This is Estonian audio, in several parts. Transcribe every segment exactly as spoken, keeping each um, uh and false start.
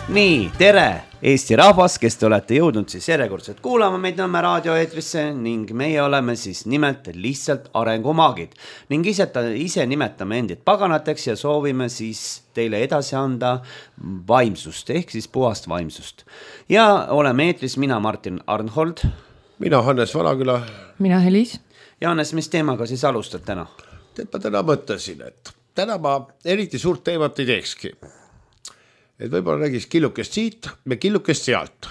Nii, tere Eesti rahvas, kes te olete jõudnud siis järjekordselt kuulama meid Nõmme raadioeetrisse ning meie oleme siis nimelt lihtsalt arengumaagid ning ise, ise nimetame endid paganateks ja soovime siis teile edasi anda vaimsust ehk siis puhast vaimsust. Ja oleme eetris mina Martin Arnhold. Mina Hannes Vanaküla. Mina Helis. Ja Hannes, mis teemaga siis alustad täna? Tead, ma täna mõtlesin, et täna ma eriti suurt teemat ei teekski. Et võib-olla räägiks killukest siit ja killukest sealt.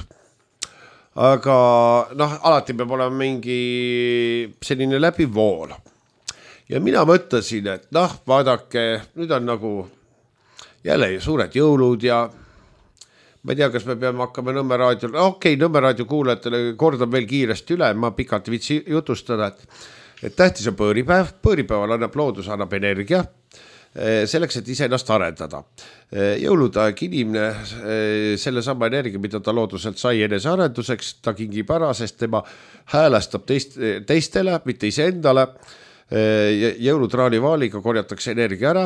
Aga noh, alati peab olema mingi selline läbivool. Ja mina mõtlesin, et noh, vaadake, nüüd on nagu jälle suured jõulud ja ma ei tea, kas me peame hakkama Nõmme raadio, okei, okay, Nõmme raadio kuulajatele kordan veel kiiresti üle, ma pikalt vitsi jutustada, et, et tähtis on põõripäev, põõripäeval annab loodus, annab energia, selleks, et ise ennast arendada. Jõuludaeg inimene selle sama energia, mida ta looduselt sai enese arenduseks, ta kingib ära, sest tema häälestab teist, teistele, mitte ise endale. Jõulutraani vaaliga korjatakse energia ära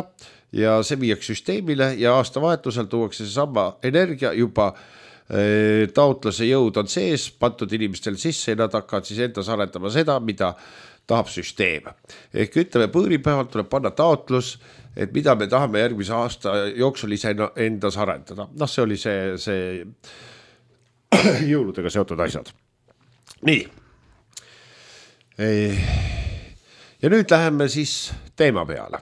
ja see viiaks süsteemile ja aastavahetusel tuuakse see sama energia juba taotlase jõud on sees, pantud inimestel sisse ja nad hakkavad siis endas arendama seda, mida tahab süsteem. Ehk ütleme, põõripäevalt tuleb panna taotlus, et mida me tahame järgmise aasta jooksul ise endas arendada. Noh, see oli see, see jõuludega seotud asjad. Nii. Ja nüüd läheme siis teema peale.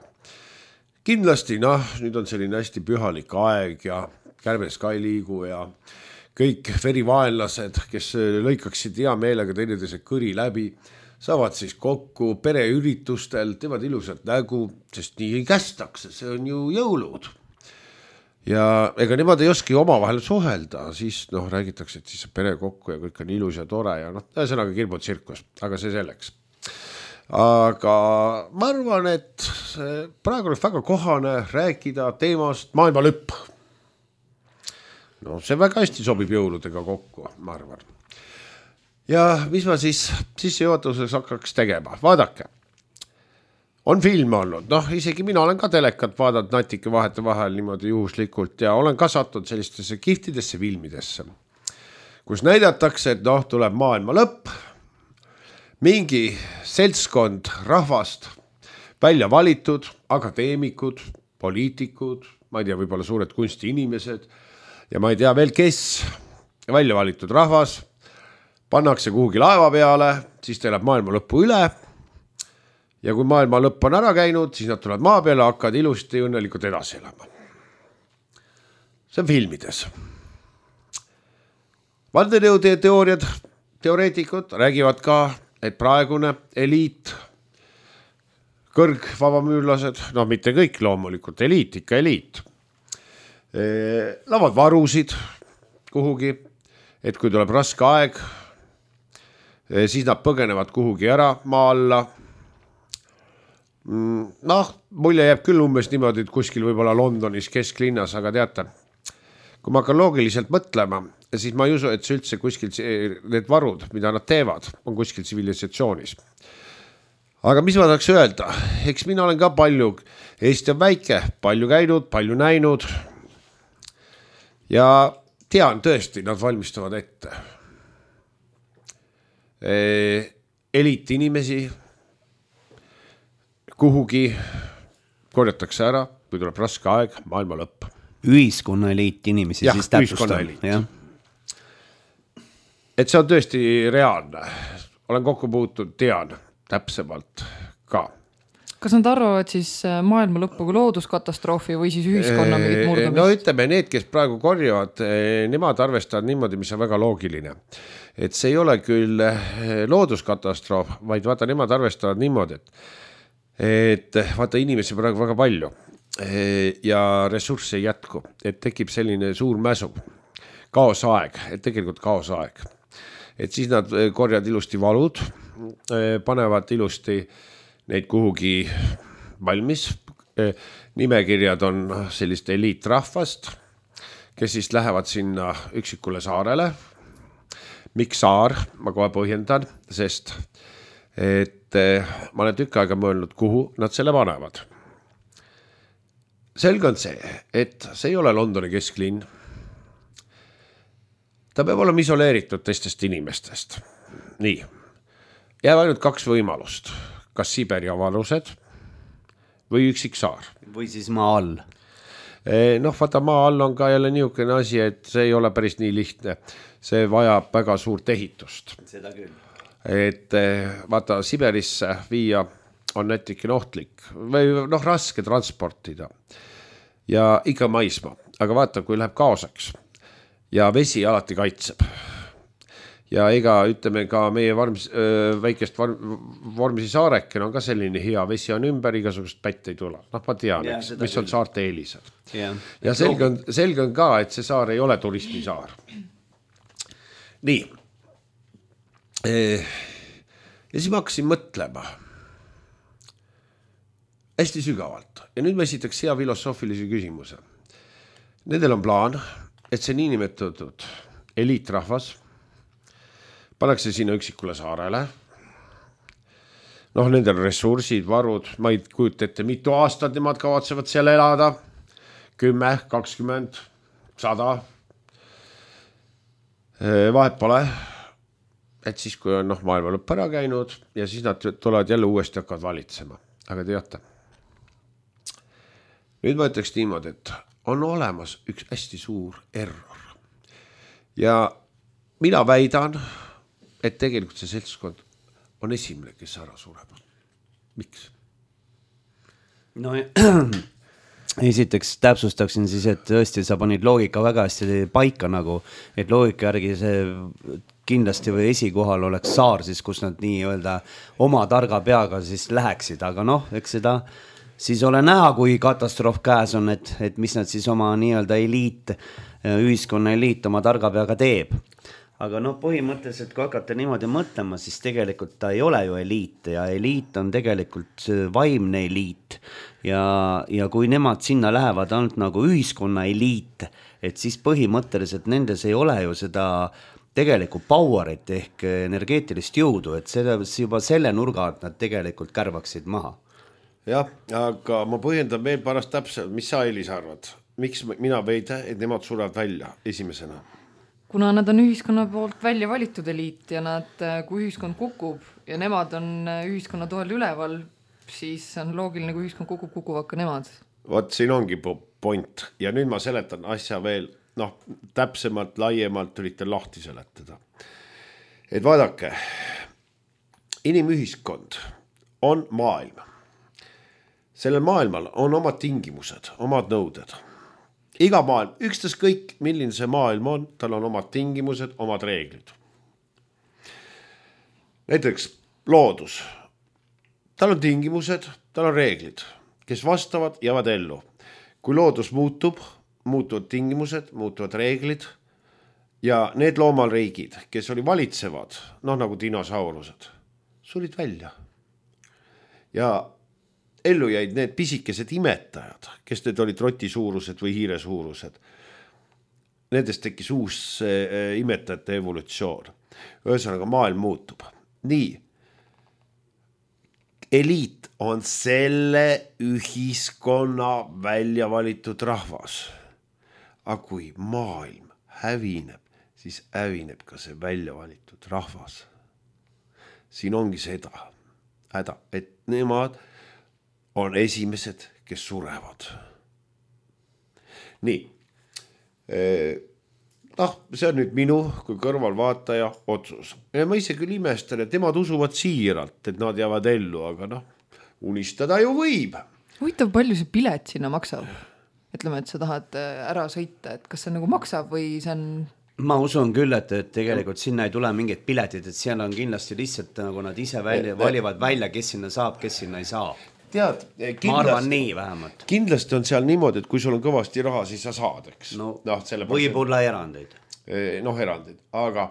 Kindlasti, noh, nüüd on selline hästi pühalik aeg ja kärbes ka ei liigu ja kõik verivaenlased, kes lõikaksid hea meelega teineteise kõri läbi, saavad siis kokku pereüritustel, teevad ilusat nägu, sest nii ei kästakse, see on ju jõulud. Ja ega nemad ei oski omavahel suhelda, siis noh, räägitakse, et siis pere kokku ja kõik on ilus ja tore ja noh, ühesõnaga kirmud tsirkus, aga see selleks. Aga ma arvan, et praegu oleks väga kohane rääkida teemast maailma lõpp. No see väga hästi sobib jõuludega kokku, ma arvan. Ja mis ma siis sissejuhatuseks hakkaks tegema? Vaadake, on film olnud, noh isegi mina olen ka telekat vaadanud natike vahete vahel niimoodi juhuslikult ja olen ka sattunud sellistesse kihtidesse filmidesse, kus näidatakse, et noh, tuleb maailma lõpp, mingi seltskond rahvast välja valitud, akadeemikud, poliitikud, ma ei tea, võib-olla suured kunstiinimesed ja ma ei tea veel, kes välja valitud rahvas pannakse kuhugi laeva peale, siis teelab maailma lõppu üle ja kui maailma lõpp on ära käinud, siis nad tulevad maa peale, hakkavad ilusti õnnelikult edasi elama. See on filmides. Vandenõude teooriad, teoreetikud räägivad ka, et praegune eliit, kõrgvabamüürlased, no mitte kõik loomulikult, eliit, ikka eliit, lavad varusid kuhugi, et kui tuleb raske aeg, siis nad põgenevad kuhugi ära maa alla. Noh, mulje jääb küll umbes niimoodi, et kuskil võib-olla Londonis kesklinnas, aga teate, kui ma hakkan loogiliselt mõtlema, siis ma ei usu, et see üldse kuskil need varud, mida nad teevad, on kuskil tsivilisatsionis. Aga mis ma tahaks öelda? Eks mina olen ka palju, Eesti on väike, palju käinud, palju näinud ja tean tõesti, nad valmistavad ette. Eliit inimesi kuhugi korjatakse ära, kui tuleb raske aeg, maailma lõpp. Ühiskonna eliit inimesi ja, siis täpsustab. Ja. Et see on tõesti reaalne. Olen kokku puutud, tean täpsemalt ka. Kas nad arvavad siis maailma lõppu kui looduskatastroofi või siis ühiskonna mingit murdumist? No ütleme, need, kes praegu korjavad, nemad arvestavad niimoodi, mis on väga loogiline. Et see ei ole küll looduskatastroof, vaid vaata, nemad arvestavad niimoodi, et, et vaata inimesi praegu väga palju ja ressursse ei jätku, et tekib selline suur mäsu, kaosaeg, et tegelikult kaosaeg. Et siis nad korjavad ilusti valud, panevad ilusti neid kuhugi valmis. Nimekirjad on sellist eliitrahvast, kes siis lähevad sinna üksikule saarele. Miks saar? Ma kohe põhjendan, sest et ma olen tükk aega mõelnud, kuhu nad selle panevad. Selge on see, et see ei ole Londoni kesklinn. ta peab olema isoleeritud teistest inimestest. Nii, jääb ainult kaks võimalust, kas Siberi avalused või üksik saar. Või siis maa all. Noh, vaata maa all on ka jälle niisugune asi, et see ei ole päris nii lihtne. See vajab väga suurt ehitust. Seda küll. Et vaata, Siberisse viia on nätikene ohtlik või noh, raske transportida ja ikka maisma. Aga vaata, kui läheb kaosaks ja vesi alati kaitseb. Ja ega ütleme ka meie varmis, väikest Vormsi saareken on ka selline hea, vesi on ümber, igasugust pätt ei tule. Noh, ma tean, ja, eks, mis on saarte eelised. Ja, ja selge, on, selge on ka, et see saar ei ole turismisaar. Nii. Ja siis ma hakkasin mõtlema hästi sügavalt. Ja nüüd ma esitaks hea filosoofilise küsimuse. Nendel on plaan, et see niinimetatud eliitrahvas pannakse sinna üksikule saarele. Noh, nendel ressursid, varud, ma ei kujuta ette, mitu aastat nemad kavatsevad seal elada. Kümme, kakskümmend, sada. Vahet pole, et siis, kui on noh, maailma lõpp ära käinud ja siis nad tulevad jälle uuesti hakkavad valitsema. Aga teate, nüüd ma ütleks niimoodi, et on olemas üks hästi suur error. Ja mina väidan, et tegelikult see seltskond on esimene, kes ära sureb. Miks? No esiteks täpsustaksin siis, et tõesti sa panid loogika väga hästi paika nagu, et loogika järgi see kindlasti või esikohal oleks saar siis, kus nad nii öelda oma targa peaga siis läheksid, aga noh, eks seda siis ole näha, kui katastroof käes on, et, et mis nad siis oma nii-öelda eliit, ühiskonna eliit oma targa peaga teeb. Aga noh, põhimõtteliselt, kui hakata niimoodi mõtlema, siis tegelikult ta ei ole ju eliit ja eliit on tegelikult vaimne eliit ja, ja kui nemad sinna lähevad ainult nagu ühiskonna eliit, et siis põhimõtteliselt nendes ei ole ju seda tegelikult powerit ehk energeetilist jõudu, et selle, juba selle nurga, et nad tegelikult kärvaksid maha. Jah, aga ma põhjendan veel pärast täpselt, mis sa Elis arvad? Miks mina veida, et nemad surevad välja esimesena? Kuna nad on ühiskonna poolt välja valitud eliit ja nad, kui ühiskond kukub ja nemad on ühiskonna toel üleval, siis on loogiline, kui ühiskond kukub, kukuvad ka nemad. Vot siin ongi point ja nüüd ma seletan asja veel, noh, täpsemalt, laiemalt üritan lahti seletada. Et vaadake, inimühiskond on maailm. Sellel maailmal on omad tingimused, omad nõuded. Iga maailm, ükstas kõik, milline see maailm on, tal on omad tingimused, omad reeglid. Näiteks loodus. Tal on tingimused, tal on reeglid, kes vastavad, jäävad ellu. Kui loodus muutub, muutuvad tingimused, muutuvad reeglid ja need loomalriigid, kes oli valitsevad, noh nagu dinosaurused, surid välja. Ja ellu jäid need pisikesed imetajad, kes need olid rotisuurused või hiiresuurused. Nendest tekkis uus äh, imetajate evolutsioon. Ühesõnaga maailm muutub. Nii. Eliit on selle ühiskonna välja valitud rahvas. Aga kui maailm hävineb, siis hävineb ka see välja valitud rahvas. Siin ongi seda häda, et nemad on esimesed, kes surevad. Nii. noh, see on nüüd minu kui kõrvalvaataja otsus. Ja ma ise küll imestan, et nemad usuvad siiralt, et nad jäävad ellu, aga noh, unistada ju võib. Huvitav, palju see pilet sinna maksab? Ütleme, et sa tahad ära sõita, et kas see nagu maksab või see on... Ma usun küll, et, et tegelikult sinna ei tule mingid piletid, et seal on kindlasti lihtsalt nagu nad ise välja, valivad välja, kes sinna saab, kes sinna ei saa. Tead, kindlasti, ma arvan nii vähemalt. Kindlasti on seal niimoodi, et kui sul on kõvasti raha, siis sa saad, eks. No, no, võib-olla erandeid. Noh, erandeid, aga,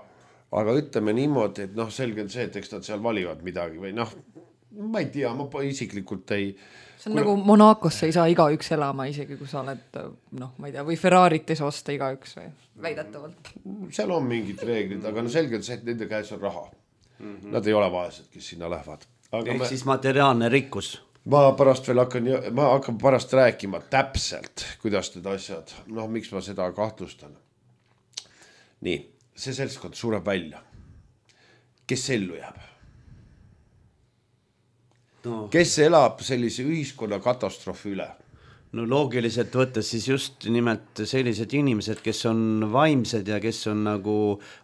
aga ütleme niimoodi, et noh, selge on see, et eks nad seal valivad midagi või noh, ma ei tea, ma isiklikult ei... See on kui... nagu Monacosse ei saa igaüks elama, isegi kui sa oled, noh, ma ei tea, või Ferrarit ei saa osta igaüks või väidetavalt. Seal on mingid reeglid, aga no selge on see, et nende käes on raha. Mm-hmm. Nad ei ole vaesed, kes sinna lähevad. Aga ehk me... siis materiaalne rikkus. Ma pärast veel hakkan, ma hakkan pärast rääkima täpselt, kuidas need asjad, noh, miks ma seda kahtlustan. Nii, see seltskond sureb välja. Kes ellu jääb? No. Kes elab sellise ühiskonna katastroofi üle? No loogiliselt võttes siis just nimelt sellised inimesed, kes on vaimsed ja kes on nagu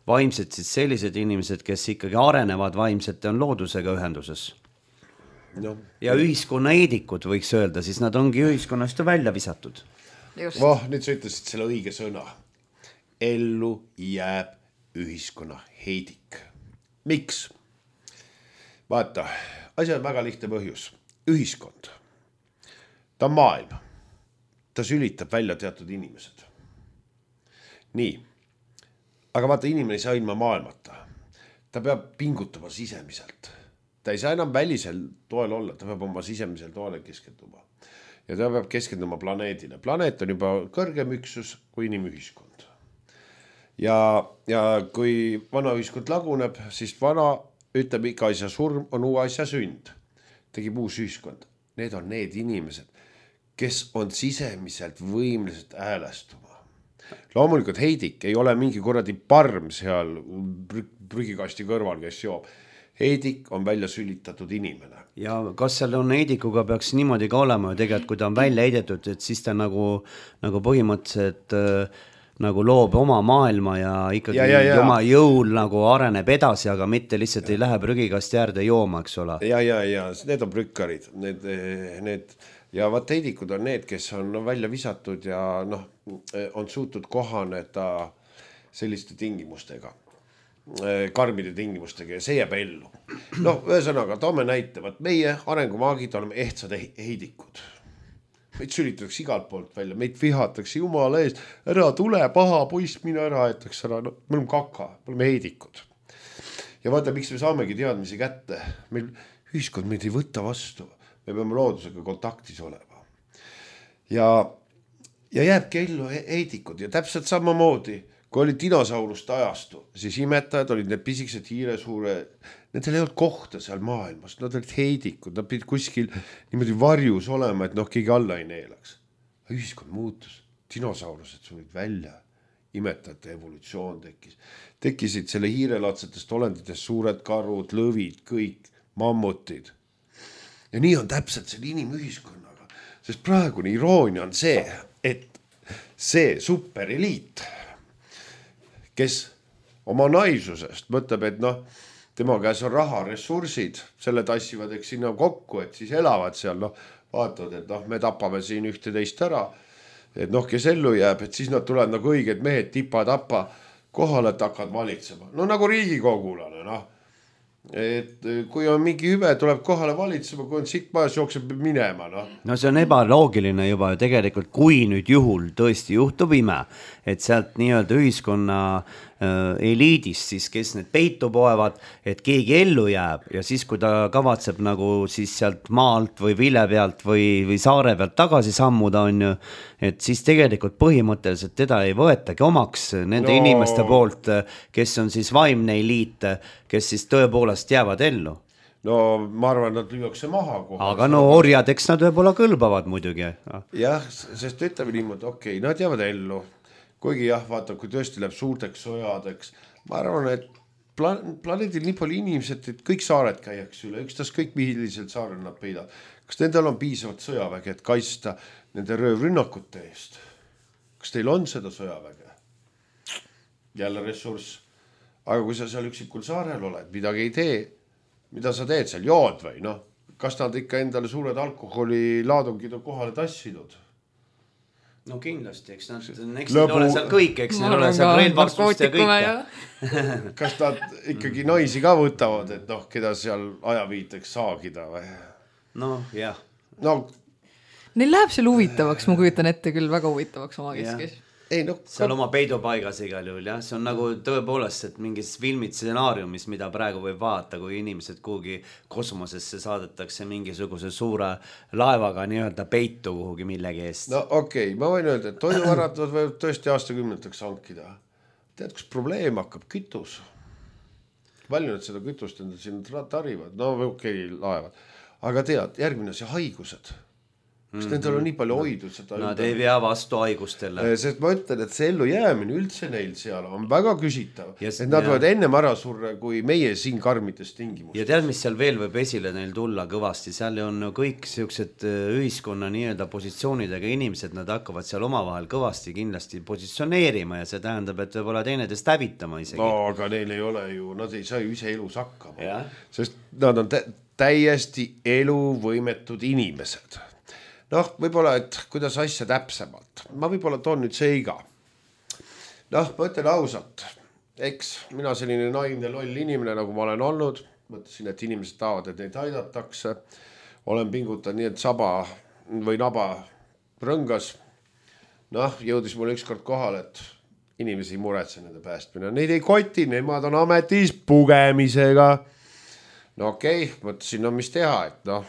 vaimsed, siis sellised inimesed, kes ikkagi arenevad vaimselt ja on loodusega ühenduses. No. Ja ühiskonna eedikud võiks öelda, siis nad ongi ühiskonnast välja visatud. Oh, nüüd sa ütlesid selle õige sõna. Ellu jääb ühiskonna heidik. Miks? Vaata, asja on väga lihtne põhjus. Ühiskond. Ta on maailm. Ta sülitab välja teatud inimesed. Nii. Aga vaata, inimene ei saa ilma maailmata. Ta peab pingutama sisemiselt. Ta ei saa enam välisel toel olla. Ta peab oma sisemisel toele keskenduma. Ja ta peab keskenduma planeedile. Planeet on juba kõrgem üksus kui inimühiskond. Ja, ja kui vana ühiskond laguneb, siis vana ütleb, iga asja surm on uue asja sünd. Tegib uus ühiskond. Need on need inimesed, kes on sisemiselt võimelised häälestuma. Loomulikult heidik ei ole mingi kuradi parm seal prügikasti kõrval, kes joob. Heidik on välja sülitatud inimene. Ja kas seal on heidikuga peaks niimoodi ka olema ja tegelikult, kui ta on välja heidetud, et siis ta nagu, nagu põhimõtteliselt nagu loob oma maailma ja ikkagi ja, ja, ja. oma jõul nagu areneb edasi, aga mitte lihtsalt ja. ei lähe prügikasti äärde jooma, eks ole. Ja, ja, ja, need on prükkarid. Need, need, ja vaat heidikud on need, kes on välja visatud ja noh, on suutud kohaneda selliste tingimustega, karmide tingimustega ja see jääb ellu. Noh, ühesõnaga, toome näite, vaat meie arengumaagid oleme ehtsad heidikud. Meid sülitatakse igalt poolt välja, meid vihatakse jumala ees, ära tule, paha poiss, mine ära, etaks ära, no, me oleme kaka, me oleme heidikud. Ja vaata, miks me saamegi teadmisi kätte, meil ühiskond meid ei võta vastu, me peame loodusega kontaktis olema. Ja, ja jääbki ellu heidikud ja täpselt samamoodi, kui oli dinosauruste ajastu, siis imetajad olid need pisikesed hiiresuure, nendel ei olnud kohta seal maailmas, nad olid heidikud, nad pidid kuskil niimoodi varjus olema, et noh, keegi alla ei neelaks. Ühiskond muutus, dinosaurused sulid välja, imetajate evolutsioon tekkis. Tekkisid selle hiirelatsetest olenditest suured karud, lõvid, kõik, mammutid. Ja nii on täpselt selle inimühiskonnaga, sest praegune iroonia on see, et see supereliit, kes oma naisusest mõtleb, et noh, tema käes on raha, ressursid, selle tassivad eks sinna kokku, et siis elavad seal, noh, vaatavad, et noh, me tapame siin ühte teist ära, et noh, kes ellu jääb, et siis nad tulevad nagu õiged mehed tipa-tapa kohale, et hakkad valitsema. No nagu riigikogulane, noh, et kui on mingi hüve, tuleb kohale valitsema, kui on siit majas jookseb minema, noh. No see on ebaloogiline juba ju tegelikult, kui nüüd juhul tõesti juhtub ime, et sealt nii-öelda ühiskonna äh, eliidist siis, kes need peitu poevad, et keegi ellu jääb ja siis, kui ta kavatseb nagu siis sealt maalt või vile pealt või, või saare pealt tagasi sammuda on ju, et siis tegelikult põhimõtteliselt teda ei võetagi omaks nende no. inimeste poolt, kes on siis vaimne eliit, kes siis tõepoolest jäävad ellu. No ma arvan, nad lüüakse maha kohe. Aga no orjad, eks nad võib-olla kõlbavad muidugi. Jah, sest ütleme niimoodi, okei, okay, nad jäävad ellu. Kuigi jah, vaata, kui tõesti läheb suurteks sojadeks. Ma arvan, et plan- planeedil nii palju inimesed, et kõik saared käiaks üle, ükstas kõik mihilised saarel nad peidavad. Kas nendel on piisavalt sõjaväge, et kaitsta nende röövrünnakute eest? Kas teil on seda sõjaväge? Jälle ressurss. Aga kui sa seal üksikul saarel oled, midagi ei tee, mida sa teed seal, jood või noh? Kas nad ikka endale suured alkoholilaadungid on kohale tassinud? No kindlasti, eks nad eks Lõbu... ole seal kõik, eks neil ole seal relvastust ja kõike. Kas nad ikkagi naisi ka võtavad, et noh, keda seal ajaviiteks saagida või? No jah. No, neil läheb seal huvitavaks, ma kujutan ette küll väga huvitavaks oma keskis. Ei, no, seal oma peidupaigas igal juhul, jah. See on nagu tõepoolest, et mingis filmid stsenaariumis, mida praegu võib vaadata, kui inimesed kuhugi kosmosesse saadetakse mingisuguse suure laevaga nii-öelda peitu kuhugi millegi eest. No okei, okay, ma võin öelda, et toiduvarad võib tõesti aastakümneteks hankida. Tead, kus probleem hakkab? Kütus. Palju nad seda kütust endal siin tarivad? No okei, okay, laevad. Aga tead, järgmine see haigused. sest nendel on nii palju hoidud seda. Nad ei pea vastu haigustele. Sest ma ütlen, et see ellu jäämine üldse neil seal on väga küsitav. Yes, et nad ja. võivad ennem ära surra kui meie siin karmides tingimustes. Ja tead, mis seal veel võib esile neil tulla kõvasti, seal on kõik siuksed ühiskonna nii-öelda positsioonidega inimesed, nad hakkavad seal omavahel kõvasti kindlasti positsioneerima ja see tähendab, et võib-olla teineteist hävitama isegi. No aga neil ei ole ju, nad ei saa ju ise elus hakkama, ja. Sest nad on tä- täiesti eluvõimetud inimesed. Noh, võib-olla, et kuidas asja täpsemalt. Ma võib-olla toon nüüd seiga. Noh, ma ütlen ausalt, eks mina selline naivne loll inimene, nagu ma olen olnud, mõtlesin, et inimesed tahavad, et neid aidatakse. Olen pingutan nii, et saba või naba rõngas. Noh, jõudis mulle ükskord kohal, et inimesi ei muretse nende päästmine. Neid ei koti, nemad on ametis pugemisega. No okei, okay, mõtlesin, no mis teha, et noh,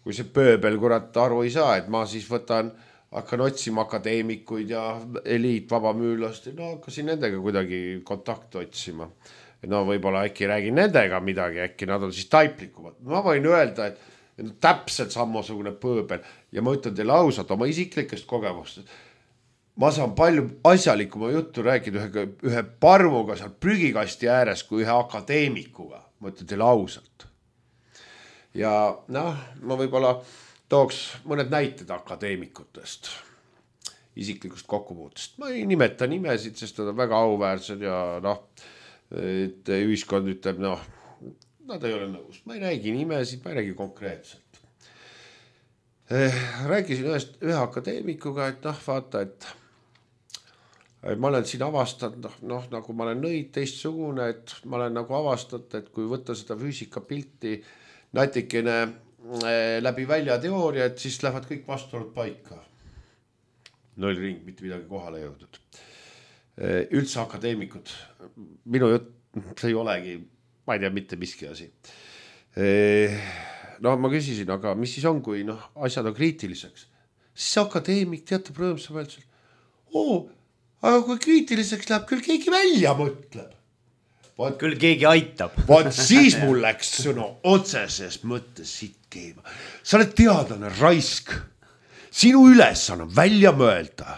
kui see pööbel kurat aru ei saa, et ma siis võtan, hakkan otsima akadeemikuid ja eliitvabamüülast, no hakkasin nendega kuidagi kontakti otsima. No võib-olla äkki räägin nendega midagi, äkki nad on siis taiplikumad. Ma võin öelda, et täpselt samasugune pööbel ja ma ütlen teile ausalt oma isiklikest kogemustest. Ma saan palju asjalikuma juttu rääkida ühe, ühe parmuga seal prügikasti ääres kui ühe akadeemikuga. Ma ütlen teile ausalt. Ja noh, ma võib-olla tooks mõned näited akadeemikutest, isiklikust kokkupuutest. Ma ei nimeta nimesid, sest nad on väga auväärsed ja noh, et ühiskond ütleb, noh, nad ei ole nõus. Ma ei räägi nimesid, ma ei räägi konkreetselt. Rääkisin ühest, ühe akadeemikuga, et noh, vaata, et ma olen siin avastanud, noh, noh, nagu ma olen nõid teistsugune, et ma olen nagu avastanud, et kui võtta seda füüsikapilti natikene läbi välja teooria, et siis lähevad kõik vastuolud paika. Null ring, mitte midagi kohale jõudnud. Üldse akadeemikud, minu jutt, see ei olegi, ma ei tea, mitte miski asi. No ma küsisin, aga mis siis on, kui noh, asjad on kriitiliseks? Siis akadeemik teatab rõõmsa välja, oo, aga kui kriitiliseks läheb, küll keegi välja mõtleb. Vaat, küll keegi aitab. Vaat siis mul läks sõna otseses mõttes siit keema. Sa oled teadlane raisk. Sinu ülesanne on välja mõelda.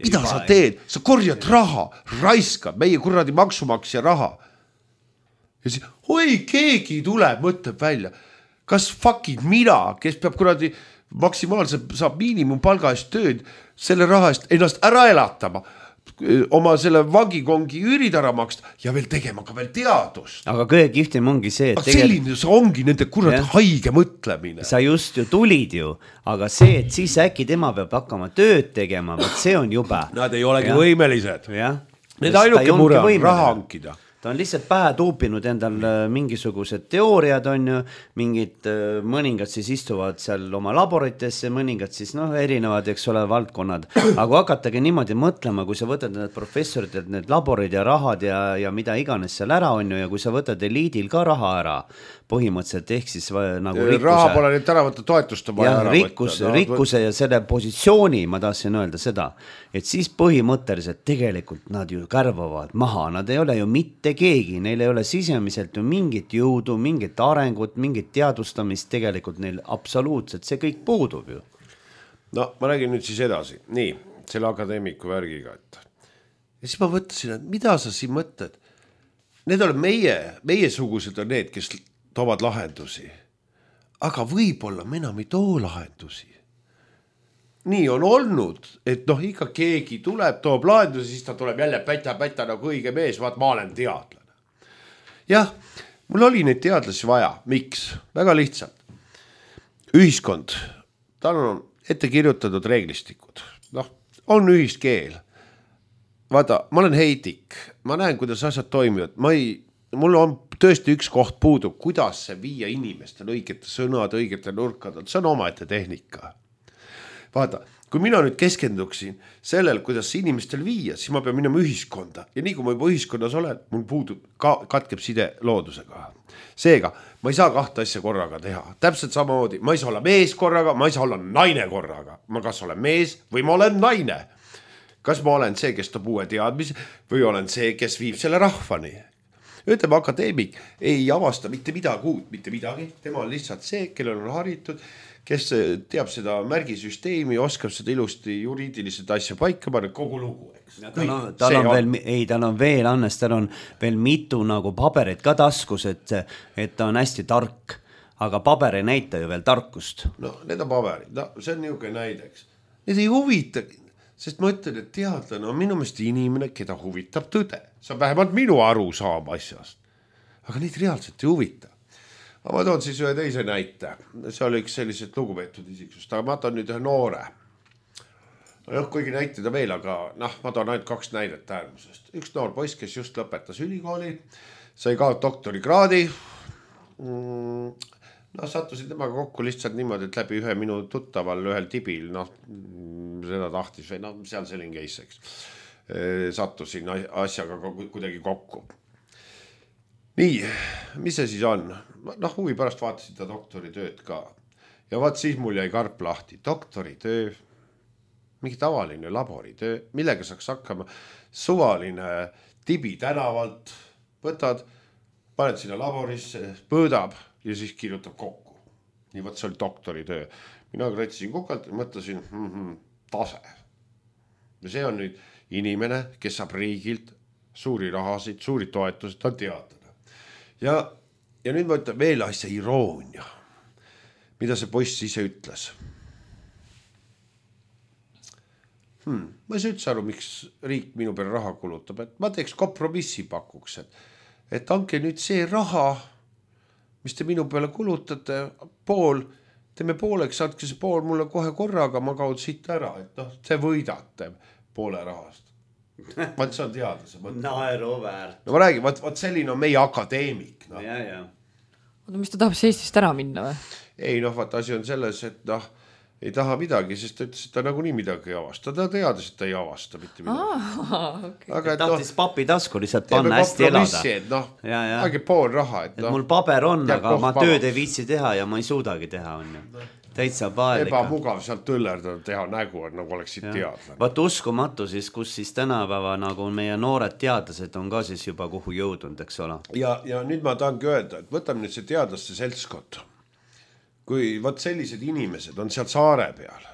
Mida Ei, sa teed? Sa korjad raha, raiskad meie kuradi maksumaksja raha. Ja siis, oi, keegi tuleb, mõtleb välja. Kas fucking mina, kes peab kuradi maksimaalselt saab miinimumpalga eest tööd, selle raha eest ennast ära elatama, oma selle vangikongi üürid ära maksta ja veel tegema ka veel teadust. Aga kõige kihvtim ongi see, et aga selline see ongi nende kurat ja. Haige mõtlemine. Sa just ju tulid ju, aga see, et siis äkki tema peab hakkama tööd tegema, võt see on jube. Nad ei olegi ja. Võimelised. Ja. Need ainuke mure on raha hankida. Ta on lihtsalt pähe tuupinud endal mingisugused teooriad on ju, mingid mõningad siis istuvad seal oma laboritesse, mõningad siis noh, erinevad, eks ole, valdkonnad. Aga hakatagi niimoodi mõtlema, kui sa võtad need professorid, et need laborid ja rahad ja, ja mida iganes seal ära on ju, ja kui sa võtad eliidil ka raha ära, põhimõtteliselt ehk siis nagu rikkuse. Raha pole nüüd ära võtta, toetust on vaja ära rikkus, võtta. No, rikkuse ja selle positsiooni, ma tahtsin öelda seda, et siis põhimõtteliselt tegelikult nad ju kärvavad maha, nad ei ole ju mitte keegi, neil ei ole sisemiselt ju mingit jõudu, mingit arengut, mingit teadustamist, tegelikult neil absoluutselt see kõik puudub ju. No ma räägin nüüd siis edasi, nii, selle akadeemiku värgiga, et ja siis ma võttasin, et mida sa siin mõtled? Need on meie, meie sugused on need, kes toovad lahendusi, aga võib-olla me enam ei too lahendusi. Nii on olnud, et noh, ikka keegi tuleb, toob lahendusi, siis ta tuleb jälle päta-päta nagu õige mees, vaat ma olen teadlane. Jah, mul oli neid teadlasi vaja, miks? Väga lihtsalt. Ühiskond, tal on ette kirjutatud reeglistikud, noh, on ühiskeel. Vaata, ma olen heidik, ma näen, kuidas asjad toimivad, ma ei, mul on tõesti üks koht puudub, kuidas see viia inimestel õigete sõnad, õigete nurkadel, see on omaette tehnika. Vaata, kui mina nüüd keskenduksin sellel, kuidas inimestel viia, siis ma pean minema ühiskonda ja nii kui ma juba ühiskonnas olen, mul puudub, ka, katkeb side loodusega. Seega, ma ei saa kahte asja korraga teha, täpselt samamoodi, ma ei saa olla mees korraga, ma ei saa olla naine korraga, ma kas olen mees või ma olen naine. Kas ma olen see, kes toob uue teadmise või olen see, kes viib selle rahvani? ütleme, akadeemik ei avasta mitte midagi uut, mitte midagi, tema on lihtsalt see, kellel on haritud, kes teab seda märgisüsteemi, oskab seda ilusti juriidiliselt asja paika panna, kogu lugu, eks. Tal on, tal on veel, ei, tal on veel, Hannes, tal on veel mitu nagu paberit ka taskus, et, et ta on hästi tark, aga paber ei näita ju veel tarkust. No, need on paberid, no see on niisugune näideks. Need ei huvita, sest ma ütlen, et teadlane on minu meelest inimene, keda huvitab tõde. See on vähemalt minu aru saab asjast. Aga neid reaalselt ei huvita. Aga ma toon siis ühe teise näite. See oli üks sellised lugupeetud isiksust, aga ma toon nüüd ühe noore. No, kuigi näitada veel, aga noh, ma toon ainult kaks näidet äärmusest. Üks noor poiss, kes just lõpetas ülikooli, sai ka doktorikraadi. No sattusid temaga kokku lihtsalt niimoodi, et läbi ühe minu tuttaval ühel tibil, noh, seda tahtis või noh, seal selline case, eks. Sattusin asjaga kuidagi kokku. Nii, mis see siis on? Noh, huvi pärast vaatasin ta doktoritööd ka. Ja vaat siis mul jäi karp lahti. Doktoritöö, mingi tavaline laboritöö, millega saaks hakkama suvaline tibi tänavalt, võtad, paned sinna laborisse, põõdab ja siis kirjutab kokku. Nii võt, see oli doktoritöö. Mina kratsisin kukalt ja mõtlesin, mm-hmm, tase. Ja see on nüüd inimene, kes saab riigilt suuri rahasid, suuri toetusid, ta on teadlane. Ja, ja nüüd ma ütlen veel asja iroonia, mida see poiss ise ütles. Hmm, ma ei saa üldse aru, miks riik minu peale raha kulutab, et ma teeks kompromissi pakuks, et, et anke nüüd see raha, mis te minu peale kulutate, pool, teeme pooleks, andke see pool mulle kohe korraga, ma kaud siit ära, et noh, see võidate poole rahast. Vaat see on teadlase. Naeru väärt. No ma räägin, vaat, vaat selline on meie akadeemik. No. Ja, ja. Oota, mis ta tahab Eestist ära minna või? Ei, noh, vaat asi on selles, et noh, ei taha midagi, sest ta ütles, et ta nagunii midagi ei avasta. Ta teadis, et ta ei avasta mitte midagi. Ah, okay. Aga et tahtis noh, papi tasku lihtsalt panna hästi elada. Et noh, ja, ja. aegi pool raha. Et, et noh, mul paber on, aga ma vabaks. tööd ei viitsi teha ja ma ei suudagi teha. On ju. Täitsa paelika. Ebamugav sealt tõllerdada teha nägu, et nagu oleksid teadlane. Vaat uskumatu siis, kus siis tänapäeva nagu meie noored teadlased on ka siis juba kuhu jõudnud, eks ole. Ja, ja nüüd ma tahangi öelda, et võtame nüüd see teadlaste seltskond. Kui võt sellised inimesed on seal saare peal,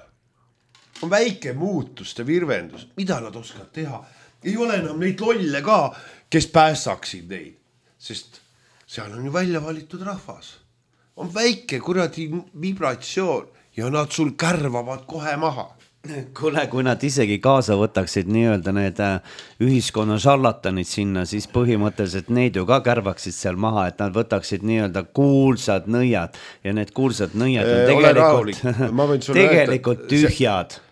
on väike muutuste virvendus, mida nad oskavad teha. Ei ole enam neid lolle ka, kes päästaksid neid, sest seal on ju välja valitud rahvas. On väike kuradi vibratsioon ja nad sul kärvavad kohe maha. Kule, kui nad isegi kaasa võtaksid nii-öelda need ühiskonna šarlatanid sinna, siis põhimõtteliselt neid ju ka kärvaksid seal maha, et nad võtaksid nii-öelda kuulsad nõiad ja need kuulsad nõiad on tegelikult, tegelikult tühjad.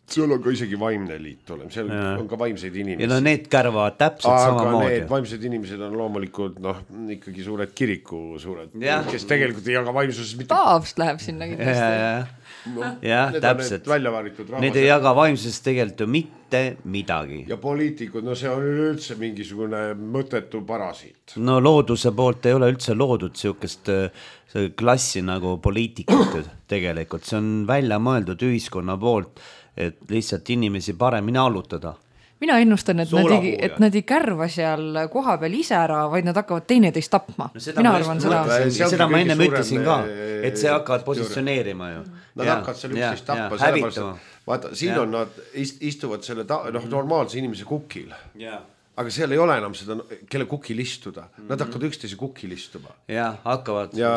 Seal on ka isegi vaimne liit olema, seal ja. On ka vaimseid inimesi. Ja no need kärvavad täpselt aga samamoodi. Need vaimsed inimesed on loomulikult noh, ikkagi suured kiriku suured, ja. Kes tegelikult ei jaga vaimsuses mitte... Paavst läheb sinna kindlasti. Ja, ja. No, ja, täpselt. Need, need ei jaga vaimsuses tegelikult ju mitte midagi. Ja poliitikud, no see on üldse mingisugune mõttetu parasiit. No looduse poolt ei ole üldse loodud siukest klassi nagu poliitikud tegelikult. See on välja mõeldud ühiskonna poolt, et lihtsalt inimesi paremini allutada. Mina ennustan, et nad, ei, et nad ei kärva seal koha peal ise ära, vaid nad hakkavad teineteist tapma. No seda, Mina ma, arvan seda, seda. seda ma enne ütlesin ka, et see hakkavad positsioneerima ju. Nad ja, hakkavad seal üksteist tappa, sellepärast, vaata, siin ja. On nad istuvad selle ta, noh, normaalse inimese kukil. Ja. Aga seal ei ole enam seda, kelle kukil istuda. Nad hakkavad üksteise kukil istuma. Ja, hakkavad. Ja,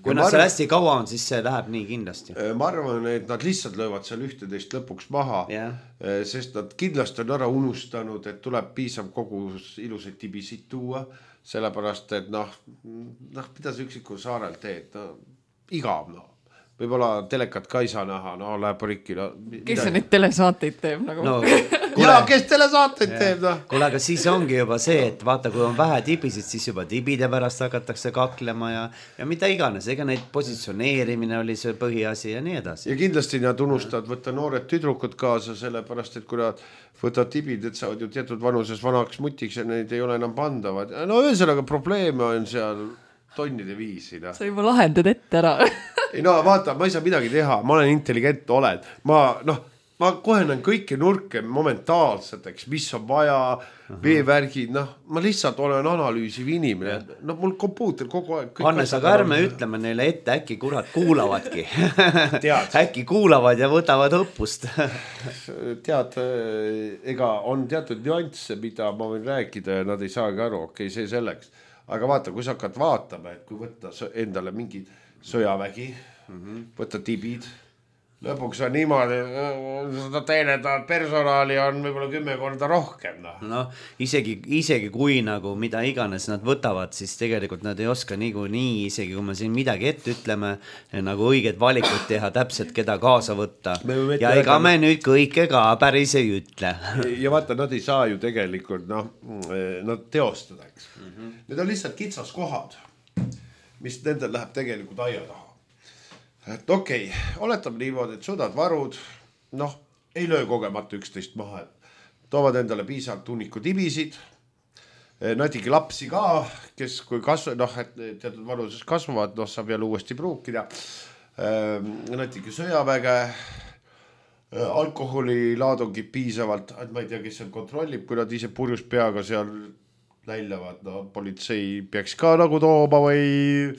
kui nad seal hästi kaua on, siis see läheb nii kindlasti. Ma arvan, et nad lihtsalt löövad seal ühteteist lõpuks maha, ja. Sest nad kindlasti on ära unustanud, et tuleb piisav kogus ilusaid tibisid tuua, sellepärast, et noh, noh mida see üksiku saarel teed, no, igav, no. Võib-olla telekat ka ei saa näha, no läheb rikki. No, kes see neid telesaateid teeb? Nagu? No, kule, ja, kes telesaateid ja. Teeb? No. Kuule, aga siis ongi juba see, et vaata, kui on vähe tibisid, siis juba tibide pärast hakatakse kaklema ja, ja mida iganes. Ega neid positsioneerimine oli see põhiasi ja nii edasi. Ja kindlasti nad unustavad võtta noored tüdrukud kaasa, sellepärast, et kui nad võtavad tibid, et saavad ju teatud vanuses vanaks mutiks ja neid ei ole enam pandavad. No ühesõnaga probleeme on seal tonnide viisi. No. Sa juba lahendad ette ära. Ei no vaata, ma ei saa midagi teha, ma olen intelligent, olen. Ma, noh, ma kohe näen kõiki nurke momentaalseteks, mis on vaja, veevärgid, noh, ma lihtsalt olen analüüsiv inimene, no mul kompuuter kogu aeg. Hannes, aga ärme ütleme neile ette, äkki kurat kuulavadki. Äkki kuulavad ja võtavad õppust. Tead, ega on teatud nüansse, mida ma võin rääkida ja nad ei saagi aru, okei, see selleks. Aga vaata, kui sa hakkad vaatama, et kui võtta endale mingi sõjavägi, mm-hmm. võtta tibid, lõpuks on niimoodi, seda teenedavat personaali on võib-olla kümme korda rohkem. No, no isegi, isegi kui nagu mida iganes nad võtavad, siis tegelikult nad ei oska nii, nii isegi kui me siin midagi ette ütleme, nagu õiged valikud teha, täpselt keda kaasa võtta. Ja ega me nüüd kõike ka päris ei ütle. Ja vaata, nad ei saa ju tegelikult, noh, nad teostada, eks. Mm-hmm. Need on lihtsalt kitsas kohad, mis nendel läheb tegelikult aia taha. Et okei, okay, oletame niimoodi, et sõdad varud, noh, ei löö kogemata üksteist maha, toovad endale piisavalt tunniku tibisid, natigi lapsi ka, kes kui kasv, noh, et teatud varuses kasvavad, noh, saab jälle uuesti pruukida, natigi sõjaväge, alkoholi laadungid piisavalt, et ma ei tea, kes seal kontrollib, kui nad ise purjus peaga seal läilevad, no politsei peaks ka nagu tooma või...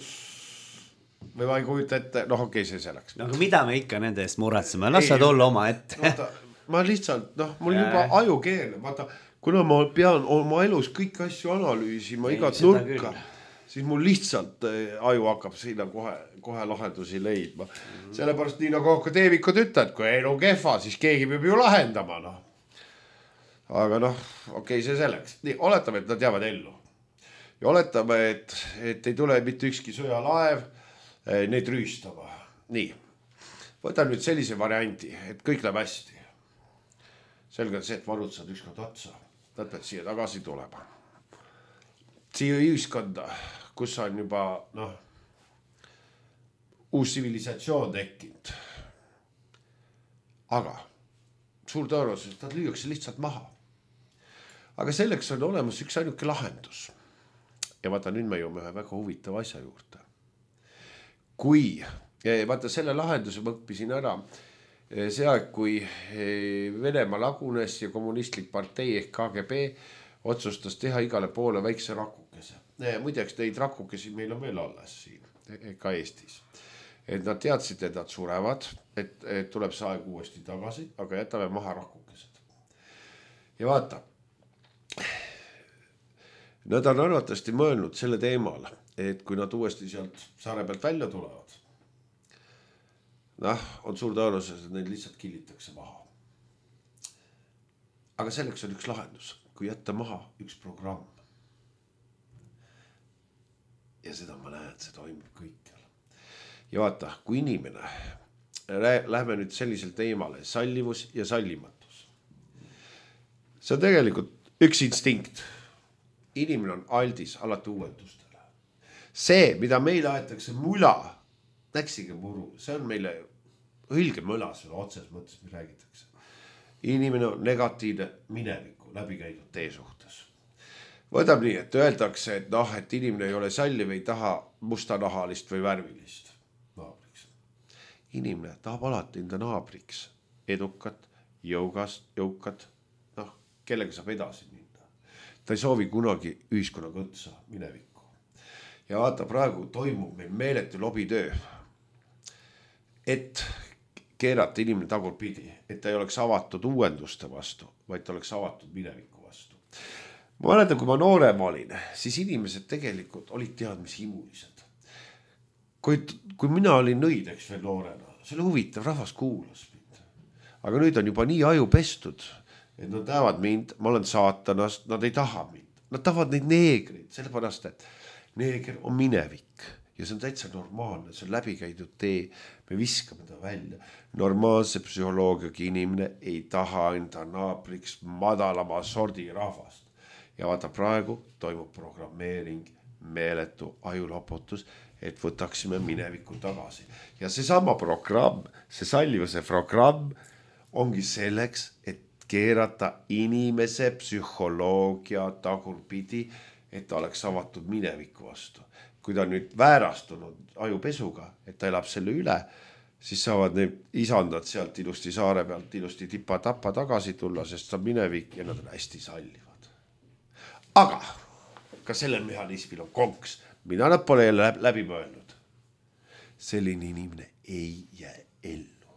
või ma ei kujuta ette, noh okei, okay, see selleks. No aga mida me ikka nende eest muretseme, las sa tulla oma ette. Vaata, ma lihtsalt, noh, mul juba aju keeleb, vaata, kuna ma pean oma elus kõik asju analüüsima, igat nurka, siis mul lihtsalt aju hakkab sinna kohe, kohe lahendusi leidma. Mm-hmm. Sellepärast nii nagu akadeemikud ütlevad, kui elu kehva, siis keegi peab ju lahendama, noh. Aga noh, okei, okay, see selleks. Nii, oletame, et nad jäävad ellu. Ja oletame, et, et ei tule mitte ükski sõjalaev, neid rüüstama. Nii, võtan nüüd sellise varianti, et kõik läheb hästi. Selge see, et varud saad ükskord otsa. Nad pead siia tagasi tulema. Siia ühiskonda, kus on juba, noh, uus tsivilisatsioon tekkinud. Aga suur tõenäosus, nad lüüakse lihtsalt maha. Aga selleks on olemas üks ainuke lahendus. Ja vaata, nüüd me jõuame ühe väga huvitava asja juurde. Kui, vaata selle lahenduse ma õppisin ära see aeg, kui Venemaa lagunes ja kommunistlik partei ehk K G B otsustas teha igale poole väikse rakukese. Muideks neid rakukesi meil on veel alles siin, ka Eestis. Et nad teadsid, et nad surevad, et, et tuleb see aeg uuesti tagasi, aga jätame maha rakukesed. Ja vaata, nad on arvatavasti mõelnud selle teemal, et kui nad uuesti sealt saare pealt välja tulevad, noh, on suur tõenäosus, et neid lihtsalt killitakse maha. Aga selleks on üks lahendus, kui jätta maha üks programm. Ja seda ma näen, et see toimub kõikjal. Ja vaata, kui inimene, lähme nüüd sellisel teemale, sallivus ja sallimatus. See on tegelikult üks instinkt. Inimene on aldis alati uuendustele. See, mida meile aetakse mula, näksige muru, see on meile õilge mõla selle otses mõttes, mis räägitakse. Inimene on negatiivne mineviku läbi käidud tee suhtes. Võtab nii, et öeldakse, et noh, et inimene ei ole salliv, ei taha mustanahalist või värvilist naabriks. Inimene tahab alati enda naabriks edukat, jõugast, jõukat, noh, kellega saab edasi minna. Ta ei soovi kunagi ühiskonna kõtsa minevikku. Ja vaata, praegu toimub meil meeletu lobitöö, et keerata inimene tagurpidi, et ta ei oleks avatud uuenduste vastu, vaid ta oleks avatud mineviku vastu. Ma mäletan, kui ma noorem olin, siis inimesed tegelikult olid teadmishimulised. Kui, kui mina olin nõideks veel noorena, see oli huvitav, rahvas kuulas mind. Aga nüüd on juba nii aju pestud, et nad näevad mind, ma olen saatanast, nad ei taha mind. Nad tahavad neid neegreid, sellepärast, et neeger on minevik. Ja see on täitsa normaalne, see on läbikäidud tee, me viskame ta välja. Normaalse psühholoogiaga inimene ei taha enda naabriks madalama sordi rahvast. Ja vaata, praegu toimub programmeering, meeletu ajuloputus, et võtaksime mineviku tagasi. Ja see sama programm, see sallivuse programm ongi selleks, et keerata inimese psühholoogia tagurpidi, et ta oleks avatud mineviku vastu. Kui ta nüüd väärastunud ajupesuga, et ta elab selle üle, siis saavad need isandad sealt ilusti saare pealt ilusti tipa-tapa tagasi tulla, sest see on minevik ja nad on hästi sallivad. Aga ka sellel mehhanismil on konks, mida nad pole jälle läbi mõelnud. Selline inimene ei jää ellu.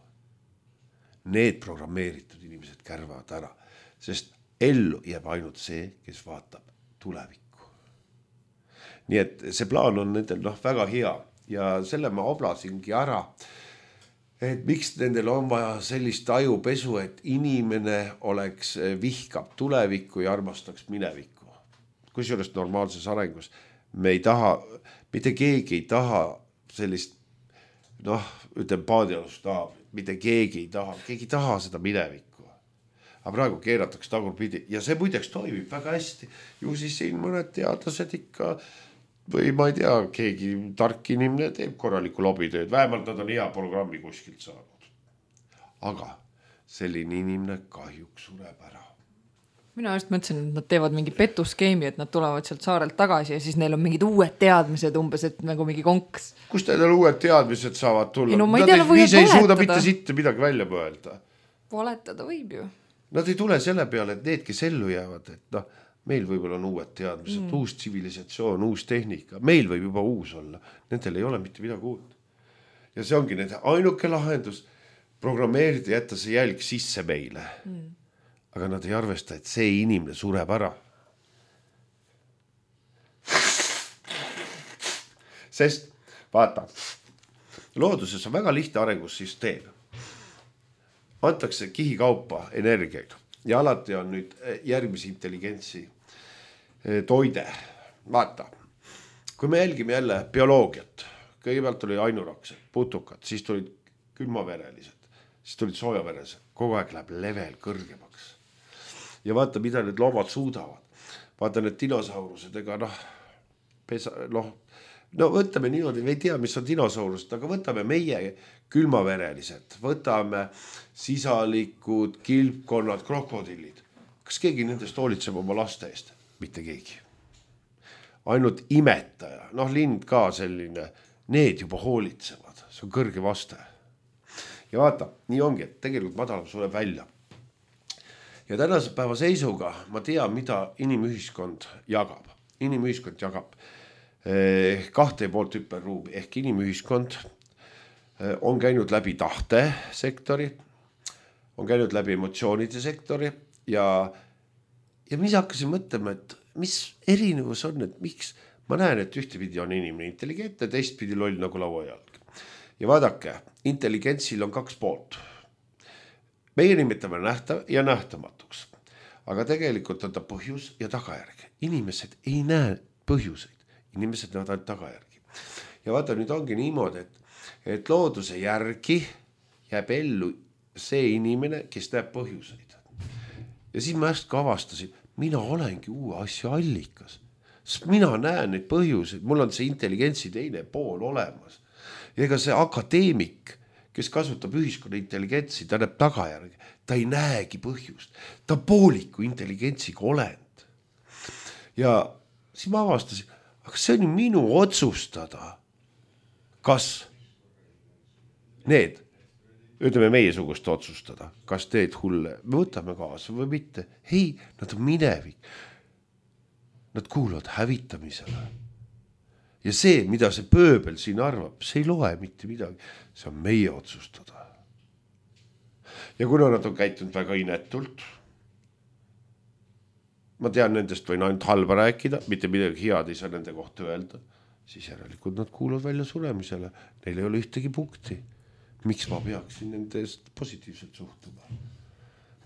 Need programmeeritud inimesed kärvavad ära, sest ellu jääb ainult see, kes vaatab tulevikku. Nii et see plaan on nendel noh, väga hea ja selle ma oblasingi ära, et miks nendel on vaja sellist ajupesu, et inimene oleks vihkab tulevikku ja armastaks minevikku. Kusjuures normaalses arengus me ei taha, mitte keegi ei taha sellist, noh, ütleme paadialust taha, mitte keegi ei taha, keegi ei taha seda minevikku. Aga praegu keeratakse tagurpidi ja see muideks toimib väga hästi. Ju siis siin mõned teadlased ikka või ma ei tea, keegi tark inimene teeb korralikku lobitööd, vähemalt nad on hea programmi kuskilt saanud. Aga selline inimene kahjuks sureb ära. Mina just mõtlesin, et nad teevad mingi petuskeemi, et nad tulevad sealt saarelt tagasi ja siis neil on mingid uued teadmised umbes, et nagu mingi konks. Kust teil uued teadmised saavad tulla? Ei, no ma ei tea, nad võivad ei suuda mitte sitte midagi välja mõelda. Valetada võib ju. Nad ei tule selle peale, et need, kes ellu jäävad, et noh, meil võib-olla on uued teadmised, mm. uus tsivilisatsioon, uus tehnika, meil võib juba uus olla, nendel ei ole mitte midagi uut. Ja see ongi nende ainuke lahendus, programmeerida, jätta see jälg sisse meile. Mm. Aga nad ei arvesta, et see inimene sureb ära. Sest, vaata, looduses on väga lihtne arengussüsteem. Antakse kihikaupa energiaid ja alati on nüüd järgmise intelligentsi toide. Vaata, kui me jälgime jälle bioloogiat, kõigepealt oli ainuraksed, putukad, siis tulid külmaverelised, siis tulid soojaveresed, kogu aeg läheb level kõrgemaks. Ja vaata, mida need loomad suudavad. Vaata need dinosaurused, ega noh, pesa, noh, no võtame niimoodi, me ei tea, mis on dinosaurused, aga võtame meie külmaverelised, võtame sisalikud, kilpkonnad, krokodillid. Kas keegi nendest hoolitseb oma laste eest? Mitte keegi. Ainult imetaja, noh lind ka selline, need juba hoolitsevad, see on kõrge vaste. Ja vaata, nii ongi, et tegelikult madalam sureb välja. Ja tänase päeva seisuga ma tean, mida inimühiskond jagab. Inimühiskond jagab eh, kahte ja poolt hüperruumi ehk inimühiskond eh, on käinud läbi tahte sektori, on käinud läbi emotsioonide sektori ja, ja mis hakkasin mõtlema, et mis erinevus on, et miks ma näen, et ühtepidi on inimene intelligentne, teistpidi loll nagu lauajalg. Ja vaadake, intelligentsil on kaks poolt. Meie nimetame nähtav ja nähtamatuks, aga tegelikult on ta põhjus ja tagajärg. Inimesed ei näe põhjuseid, inimesed näevad ainult tagajärgi. Ja vaata, nüüd ongi niimoodi, et, et looduse järgi jääb ellu see inimene, kes näeb põhjuseid. Ja siis ma äsja ka avastasin, mina olengi uue asja allikas, sest mina näen neid põhjuseid, mul on see intelligentsi teine pool olemas. Ja ega see akadeemik, kes kasutab ühiskonna intelligentsi, ta näeb tagajärgi, ta ei näegi põhjust, ta pooliku intelligentsiga olend. Ja siis ma avastasin, aga see on ju minu otsustada, kas need, ütleme meie sugust otsustada, kas teed hulle, me võtame kaasa või mitte. Ei, nad on minevik, nad kuuluvad hävitamisele. Ja see, mida see pööbel siin arvab, see ei loe mitte midagi. See on meie otsustada. Ja kuna nad on käitunud väga inetult, ma tean, nendest võin ainult halba rääkida, mitte midagi head ei saa nende kohta öelda, siis järelikult nad kuuluvad välja suremisele. Neil ei ole ühtegi punkti. Miks ma peaksin nendest positiivselt suhtuma?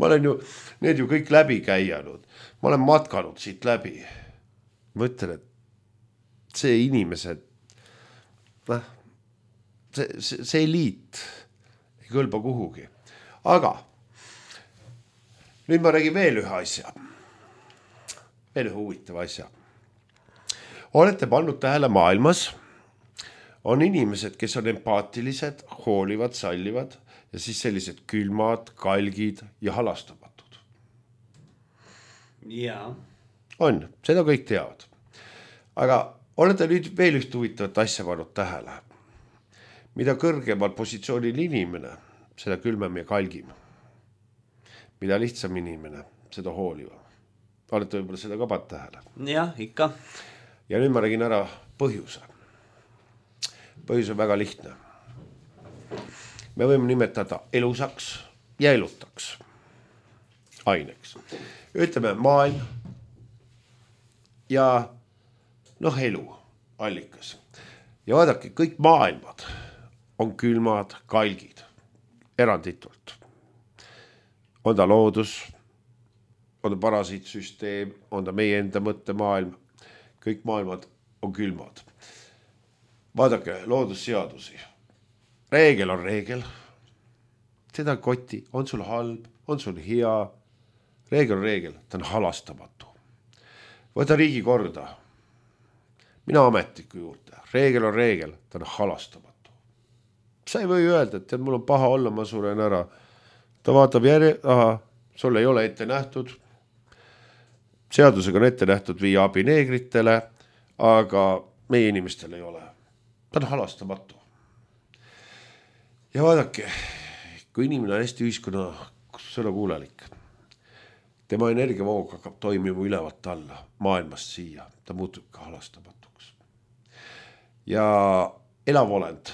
Ma olen ju, need ju kõik läbi käianud. Ma olen matkanud siit läbi. Ma ütlen, et see inimesed, see, see, see eliit ei kõlba kuhugi. Aga nüüd ma räägin veel ühe asja. Veel ühe huvitava asja. Olete pannud tähele maailmas, on inimesed, kes on empaatilised, hoolivad, sallivad ja siis sellised külmad, kalgid ja halastamatud. Jaa. On, seda kõik teavad. Aga olete nüüd veel üht huvitavat asja pannud tähele. mida kõrgemal positsioonil inimene, seda külmem ja kalgim. Mida lihtsam inimene, seda hooliva. Olete võib-olla seda ka pannud tähele? Jah, ikka. Ja nüüd ma räägin ära põhjuse. Põhjus on väga lihtne. Me võime nimetada elusaks ja elutaks aineks. Ütleme maailm ja noh, elu allikas. Ja vaadake, kõik maailmad on külmad, kalgid, eranditult. On ta loodus, on ta parasiitsüsteem, on ta meie enda mõttemaailm, kõik maailmad on külmad. Vaadake loodusseadusi. Reegel on reegel. Seda koti, on sul halb, on sul hea. Reegel on reegel, ta on halastamatu. Võta riigi korda. Mina ametniku juurde. Reegel on reegel, ta on halastamatu. Sa ei või öelda, et mul on paha olla, ma suren ära. Ta vaatab järje, aha, sul ei ole ette nähtud. Seadusega on ette nähtud viia abi neegritele, aga meie inimestel ei ole. Ta on halastamatu. Ja vaadake, kui inimene on hästi ühiskonna sõnakuulelik, tema energiavoog hakkab toimima ülevalt alla, maailmast siia, ta muutub ka halastamatuks. Ja elav olend,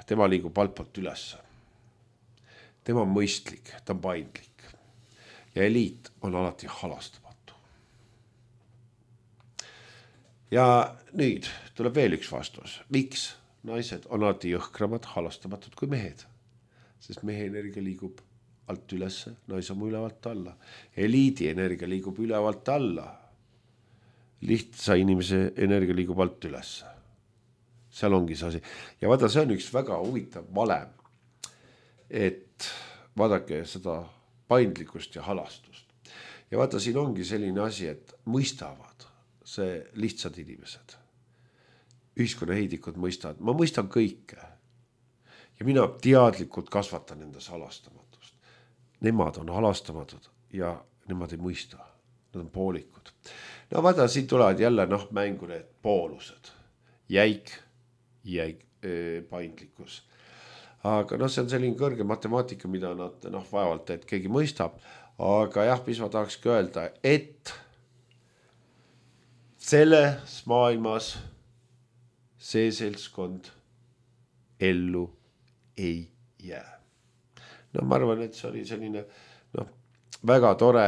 tema liigub altpoolt ülesse. Tema on mõistlik, ta on paindlik. Ja eliit on alati halastamatu. Ja nüüd tuleb veel üks vastus. Miks naised on alati jõhkramad, halastamatud kui mehed? Sest mehe energia liigub alt ülesse, naise on ülevalt alla. Eliidi energia liigub ülevalt alla. Lihtsa inimese energia liigub alt ülesse. Seal ongi see asi. Ja vaata, see on üks väga huvitav valem, et vaadake seda paindlikkust ja halastust. Ja vaata, siin ongi selline asi, et mõistavad see lihtsad inimesed. Ühiskonna heidikud mõistavad. Ma mõistan kõike. Ja mina teadlikult kasvatan endas halastamatust. Nemad on halastamatud ja nemad ei mõista. Nad on poolikud. No vaata, siin tulevad jälle noh, mängu need poolused. Jäik, jäik äh, paindlikkus. Aga noh, see on selline kõrge matemaatika, mida nad noh, vaevalt, et keegi mõistab. Aga jah, mis ma tahakski öelda, et selles maailmas see seltskond ellu ei jää. No ma arvan, et see oli selline noh, väga tore,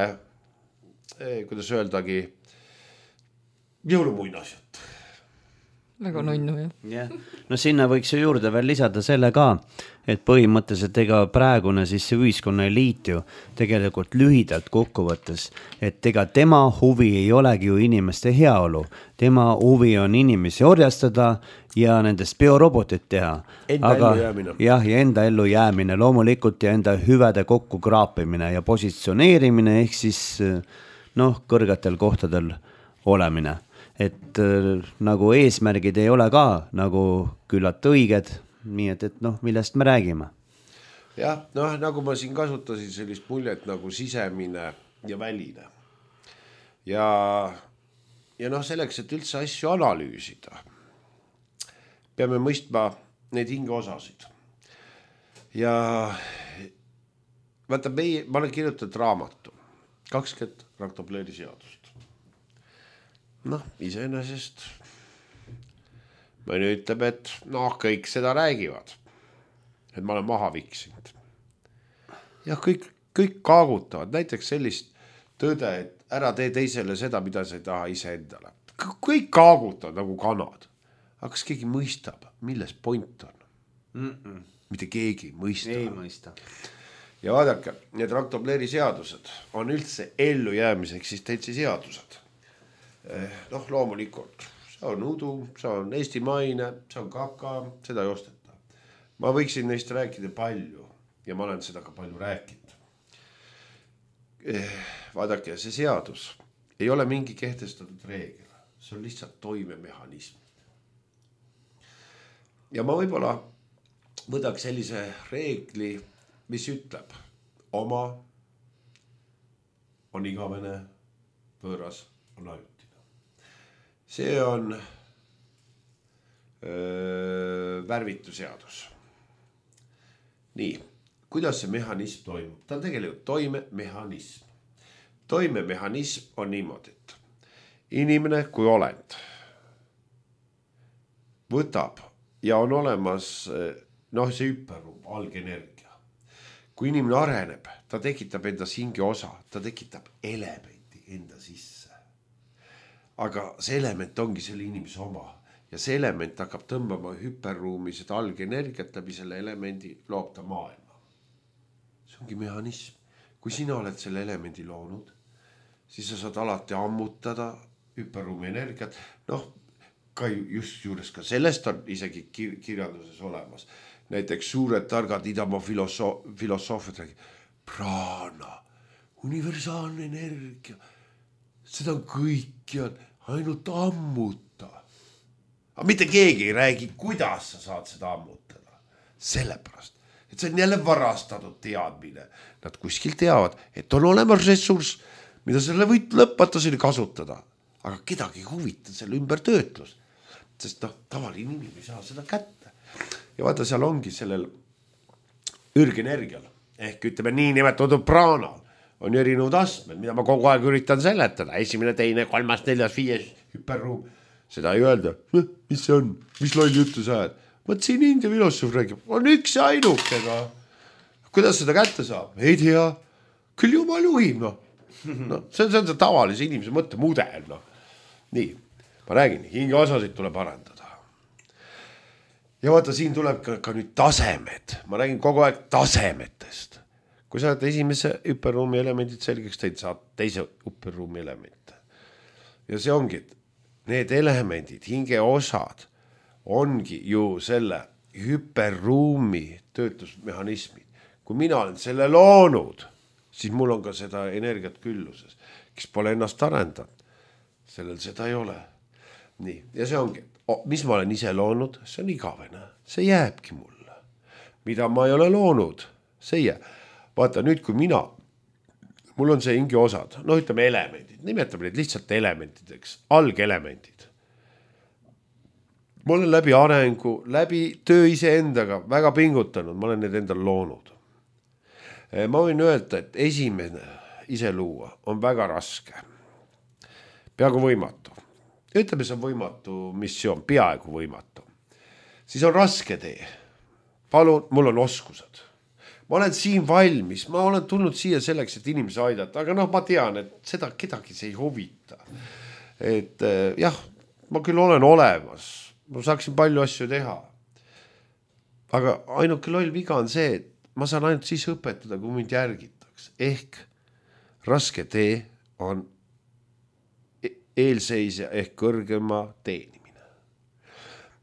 eh, kuidas öeldagi, jõulumuinasjat. Väga nunnu, jah. Yeah. No sinna võiks ju juurde veel lisada selle ka, et põhimõtteliselt ega praegune siis see ühiskonna eliit ju tegelikult lühidalt kokkuvõttes, et ega tema huvi ei olegi ju inimeste heaolu. Tema huvi on inimesi orjastada ja nendest biorobotit teha. Enda Aga, ellu jäämine. Jah, ja enda ellu jäämine loomulikult ja enda hüvede kokku kraapimine ja positsioneerimine ehk siis noh, kõrgetel kohtadel olemine. Et äh, nagu eesmärgid ei ole ka nagu küllalt õiged, nii et, et noh, millest me räägime. Jah, noh, nagu ma siin kasutasin sellist muljet nagu sisemine ja väline. Ja, ja noh, selleks, et üldse asju analüüsida, peame mõistma neid hingeosasid. Ja vaata, meie, ma olen kirjutatud raamatu, kakskümmend raktopleeri seadust. Noh, iseenesest mõni ütleb, et noh, kõik seda räägivad, et ma olen maha viksinud. Ja kõik, kõik kaagutavad, näiteks sellist tõde, et ära tee teisele seda, mida sa ei taha ise endale. Kõik kaagutavad nagu kanad. Aga kas keegi mõistab, milles point on? Mm-mm. Mitte keegi mõista. Ei mõista. Ja vaadake, need raktopleeri seadused on üldse ellu jäämise eksistentsi seadused. Noh, loomulikult, see on udu, see on eestimaine, see on kaka, seda ei osteta. Ma võiksin neist rääkida palju ja ma olen seda ka palju rääkinud. Vaadake, see seadus ei ole mingi kehtestatud reegel, see on lihtsalt toimemehhanism. Ja ma võib-olla võtaks sellise reegli, mis ütleb, oma on igavene, võõras on ajutine. See on öö, värvitu seadus. nii, kuidas see mehhanism toimub? Ta on tegelikult toimemehhanism. Toimemehhanism on niimoodi, et inimene kui olend võtab ja on olemas noh, see hüperruum, algenergia. Kui inimene areneb, ta tekitab endas hinge osa, ta tekitab elementi enda sisse. Aga see element ongi selle inimese oma ja see element hakkab tõmbama hüperruumi seda algenergiat läbi selle elemendi loob ta maailma. See ongi mehhanism. Kui sina oled selle elemendi loonud, siis sa saad alati ammutada hüperruumi energiat. Noh, ka just juures ka sellest on isegi kir kirjanduses olemas. Näiteks suured targad idamaa filosoof filosoofiad räägib, praana, universaalne energia, seda on kõik ja ainult ammuta. Aga mitte keegi ei räägi, kuidas sa saad seda ammutada. Sellepärast, et see on jälle varastatud teadmine. Nad kuskil teavad, et on olemas ressurss, mida selle võid lõpmatuseni kasutada. Aga kedagi huvita selle ümber töötlus. Sest noh, tavaline inimene ei saa seda kätte. Ja vaata, seal ongi sellel ürgenergial, ehk ütleme nii nimetatud praanal, on erinevad astmed, mida ma kogu aeg üritan seletada. Esimene, teine, kolmas, neljas, viies hüperruum. Seda ei öelda, mis see on, mis loll jutu sa ajad. Võt siin India filosoof räägib, on üks ja ainukega. Kuidas seda kätte saab? Ei tea, küll jumal juhib, noh. No, see on see tavalise inimese mõtte mudel, noh. Nii, ma räägin, hinge osasid tuleb arendada. Ja vaata, siin tuleb ka, ka nüüd tasemed. Ma räägin kogu aeg tasemetest. Kui sa oled esimese hüperruumi elemendid selgeks teid, saad teise hüperruumi elemente. Ja see ongi, et need elemendid, hinge osad, ongi ju selle hüperruumi töötlusmehhanismid. Kui mina olen selle loonud, siis mul on ka seda energiat külluses. Kes pole ennast arendanud, sellel seda ei ole. Nii, ja see ongi, mis ma olen ise loonud, see on igavene. See jääbki mulle. Mida ma ei ole loonud, see jääb. Vaata, nüüd kui mina, mul on see hinge osad, no ütleme elemendid, nimetame neid lihtsalt elementideks, algelemendid. Ma olen läbi arengu, läbi töö ise endaga väga pingutanud, ma olen need endal loonud. Ma võin öelda, et esimene ise luua on väga raske. Peaaegu võimatu. Ütleme, see on võimatu missioon, peaaegu võimatu. Siis on raske tee. Palun, mul on oskused. Ma olen siin valmis, ma olen tulnud siia selleks, et inimesi aidata, aga noh, ma tean, et seda kedagi see ei huvita. Et jah, ma küll olen olemas, ma saaksin palju asju teha. Aga ainuke loll viga on see, et ma saan ainult siis õpetada, kui mind järgitaks. Ehk raske tee on eelseisja ehk kõrgema teenimine.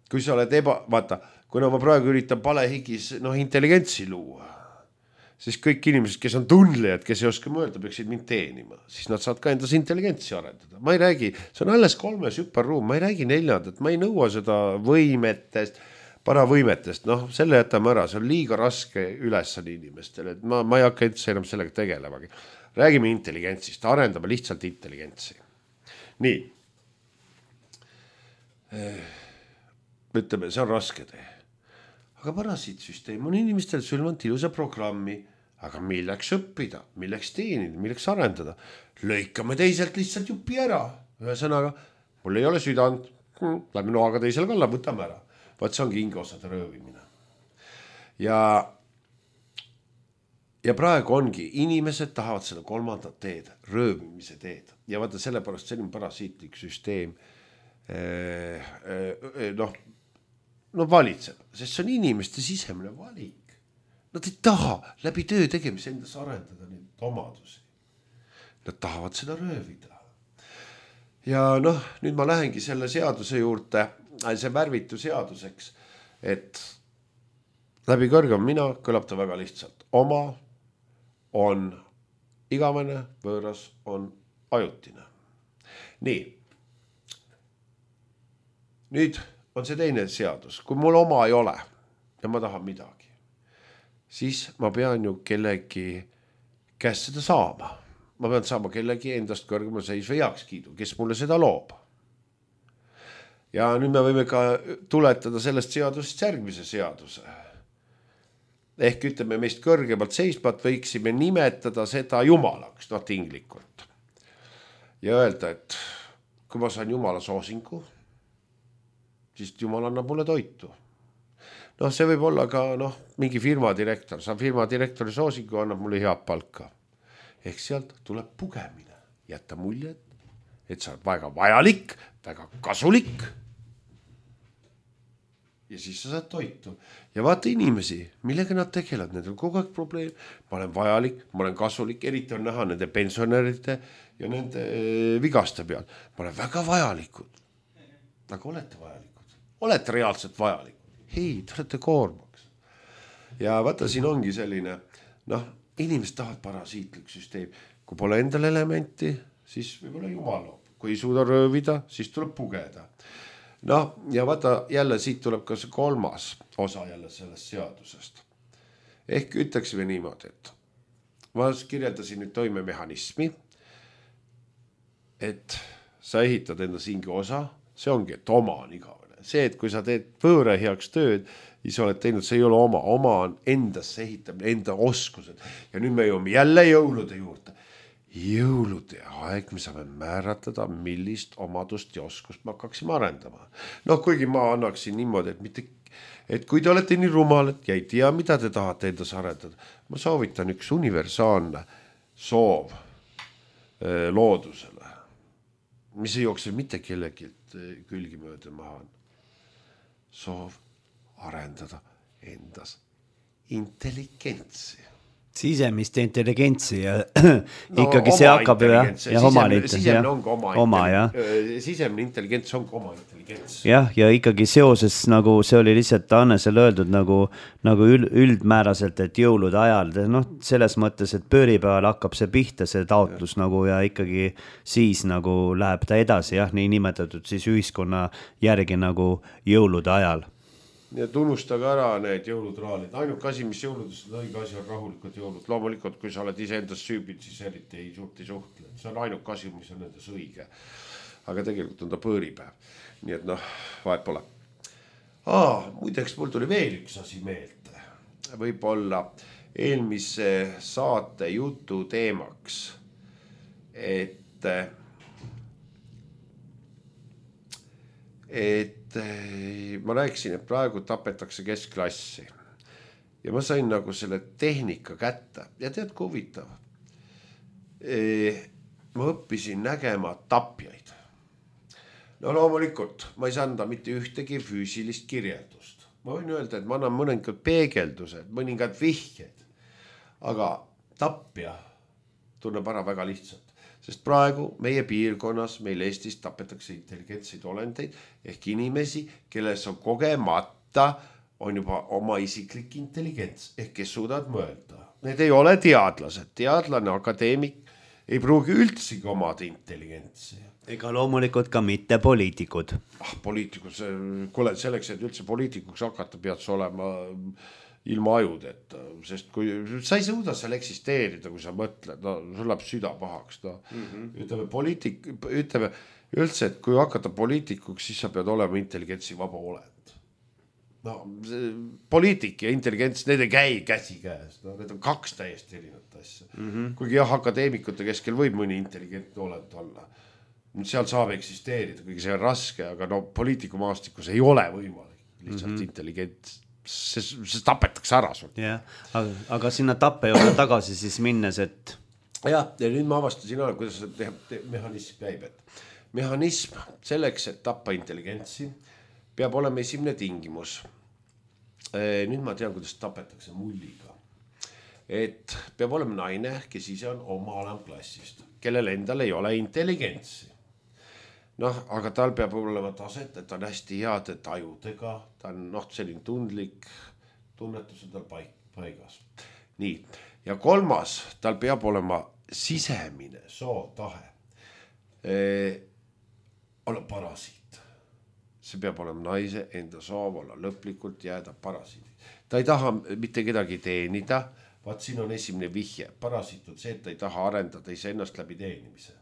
Kui sa oled eba, vaata, kuna ma praegu üritan palehigis noh, intelligentsi luua, siis kõik inimesed, kes on tundlijad, kes ei oska mõelda, peaksid mind teenima, siis nad saad ka endas intelligentsi arendada. Ma ei räägi, see on alles kolmes hüperruum, ma ei räägi neljandat, ma ei nõua seda võimetest, paravõimetest, noh, selle jätame ära, see on liiga raske ülesanne inimestele, et ma, ma ei hakka üldse enam sellega tegelemagi. Räägime intelligentsist, arendame lihtsalt intelligentsi. Nii, ütleme, see on raske tee. Aga parasiitsüsteem on inimestel sülvanud ilusa programmi, aga milleks õppida, milleks teenida, milleks arendada. Lõikame teiselt lihtsalt jupi ära. Ühesõnaga, mul ei ole südant, läbi noaga teisele kalla, võtame ära. Vaat see ongi hingeosade röövimine. Ja, ja praegu ongi, inimesed tahavad seda kolmandat teed, röövimise teed. Ja vaata sellepärast selline parasiitlik süsteem eh, eh, noh, no valitseb, sest see on inimeste sisemine valik. Nad ei taha läbi töö tegemise endas arendada neid omadusi. Nad tahavad seda röövida. Ja noh, nüüd ma lähengi selle seaduse juurde, see värvitu seaduseks, et läbi kõrgem mina kõlab ta väga lihtsalt. Oma on igavene, võõras on ajutine. Nii. Nüüd on see teine seadus. Kui mul oma ei ole ja ma tahan midagi, siis ma pean ju kellegi käest seda saama. Ma pean saama kellegi endast kõrgema seisva heakskiidu, kes mulle seda loob. Ja nüüd me võime ka tuletada sellest seadusest järgmise seaduse. ehk ütleme meist kõrgemalt seisvat võiksime nimetada seda jumalaks, noh tinglikult. Ja öelda, et kui ma saan jumala soosingu, siis jumal annab mulle toitu. Noh, see võib olla ka noh, mingi firma direktor, saan firma direktori soosingu, annab mulle head palka. Ehk sealt tuleb pugemine, jätta mulje, et sa oled väga vajalik, väga kasulik. Ja siis sa saad toitu. Ja vaata inimesi, millega nad tegelevad, need on kogu aeg probleem. Ma olen vajalik, ma olen kasulik, eriti on näha nende pensionäride ja nende vigaste peal. Ma olen väga vajalikud. Aga olete vajalikud? Olete reaalselt vajalikud? Hei, te olete koormaks. Ja vaata, siin ongi selline, noh, inimesed tahavad parasiitlik süsteem. Kui pole endal elementi, siis võib-olla jumal loob. Kui ei suuda röövida, siis tuleb pugeda. Noh, ja vaata, jälle siit tuleb ka see kolmas osa jälle sellest seadusest. Ehk ütleksime niimoodi, et ma kirjeldasin nüüd toimemehhanismi, et sa ehitad enda singi osa, see ongi, et oma on igavene. See, et kui sa teed võõre heaks tööd, siis oled teinud, see ei ole oma, oma on endasse ehitamine, enda oskused. Ja nüüd me jõuame jälle jõulude juurde. Jõulude aeg, me saame määratleda, millist omadust ja oskust me hakkaksime arendama. Noh, kuigi ma annaksin niimoodi, et, mitte, et kui te olete nii rumalad ja ei tea, mida te tahate endas arendada, ma soovitan üks universaalne soov eh, loodusele, mis ei jookse mitte kellegilt külgi mööda maha. Soov arendada endas intelligentsi. Sisemist intelligentsi ja no, ikkagi see hakkab ja, ja oma sisemine ongi oma, oma ja. Sisemine intelligents ongi oma intelligents. Jah, ja ikkagi seoses nagu see oli lihtsalt Annesel öeldud nagu, nagu üldmääraselt, et jõulude ajal, noh, selles mõttes, et pööripäeval hakkab see pihta, see taotlus ja. Nagu ja ikkagi siis nagu läheb ta edasi, jah, nii nimetatud siis ühiskonna järgi nagu jõulude ajal. Ja tunnustage ära need jõulutraalid. Ainuk asi, mis jõuludes on õige asi, on rahulikud jõulud. Loomulikult, kui sa oled ise endas süübid, siis eriti ei suhti suhtle. See on ainuk asi, mis on endas õige. Aga tegelikult on ta pööripäev. Nii et noh, vahet pole. Aa, muideks mul tuli veel üks asi meelde. Võib-olla eelmise saate jutu teemaks, et et ma rääkisin, et praegu tapetakse keskklassi ja ma sain nagu selle tehnika kätte ja tead, kui huvitav. Ma õppisin nägema tapjaid. No loomulikult, ma ei saa anda mitte ühtegi füüsilist kirjeldust. Ma võin öelda, et ma annan mõningad peegeldused, mõningad vihjed, aga tapja tunneb ära väga lihtsalt. Sest praegu meie piirkonnas, meil Eestis tapetakse intelligentseid olendeid ehk inimesi, kelles on kogemata, on juba oma isiklik intelligents ehk kes suudavad mõelda. Need ei ole teadlased, teadlane, akadeemik ei pruugi üldsegi omada intelligentsi. Ega loomulikult ka mitte poliitikud. Ah, poliitikud, kuule, selleks, et üldse poliitikuks hakata, pead sa olema ilma ajudeta, sest kui sa ei suuda seal eksisteerida, kui sa mõtled, no sul läheb süda pahaks, no mm-hmm. ütleme poliitik, ütleme üldse, et kui hakata poliitikuks, siis sa pead olema intelligentsi vaba olend. No poliitik ja intelligents, need ei käi käsi käes, no need on kaks täiesti erinevat asja. Mm-hmm. Kuigi jah, akadeemikute keskel võib mõni intelligentne olend olla. Seal saab eksisteerida, kuigi see on raske, aga no poliitikumaastikus ei ole võimalik lihtsalt mm-hmm. intelligents. See, see tapetakse ära sul. Ja, aga, aga sinna tappe juurde tagasi siis minnes, et... Ja, ja nüüd ma avastasin ära, kuidas see te, te, mehhanism käib. Et mehhanism selleks, et tappa intelligentsi, peab olema esimene tingimus. E, nüüd ma tean, kuidas tapetakse mulliga. Et peab olema naine, kes ise on oma alamklassist, kellel endal ei ole intelligentsi. Noh, aga tal peab olema taset, et ta on hästi heade tajudega, ta on noh, selline tundlik, tunnetus on tal paigas. Nii, ja kolmas, tal peab olema sisemine sootahe. E, olla parasiit. See peab olema naise enda soov olla lõplikult jääda parasiidi. Ta ei taha mitte kedagi teenida, vaat siin on esimene vihje. Parasiit on see, et ta ei taha arendada iseennast läbi teenimise.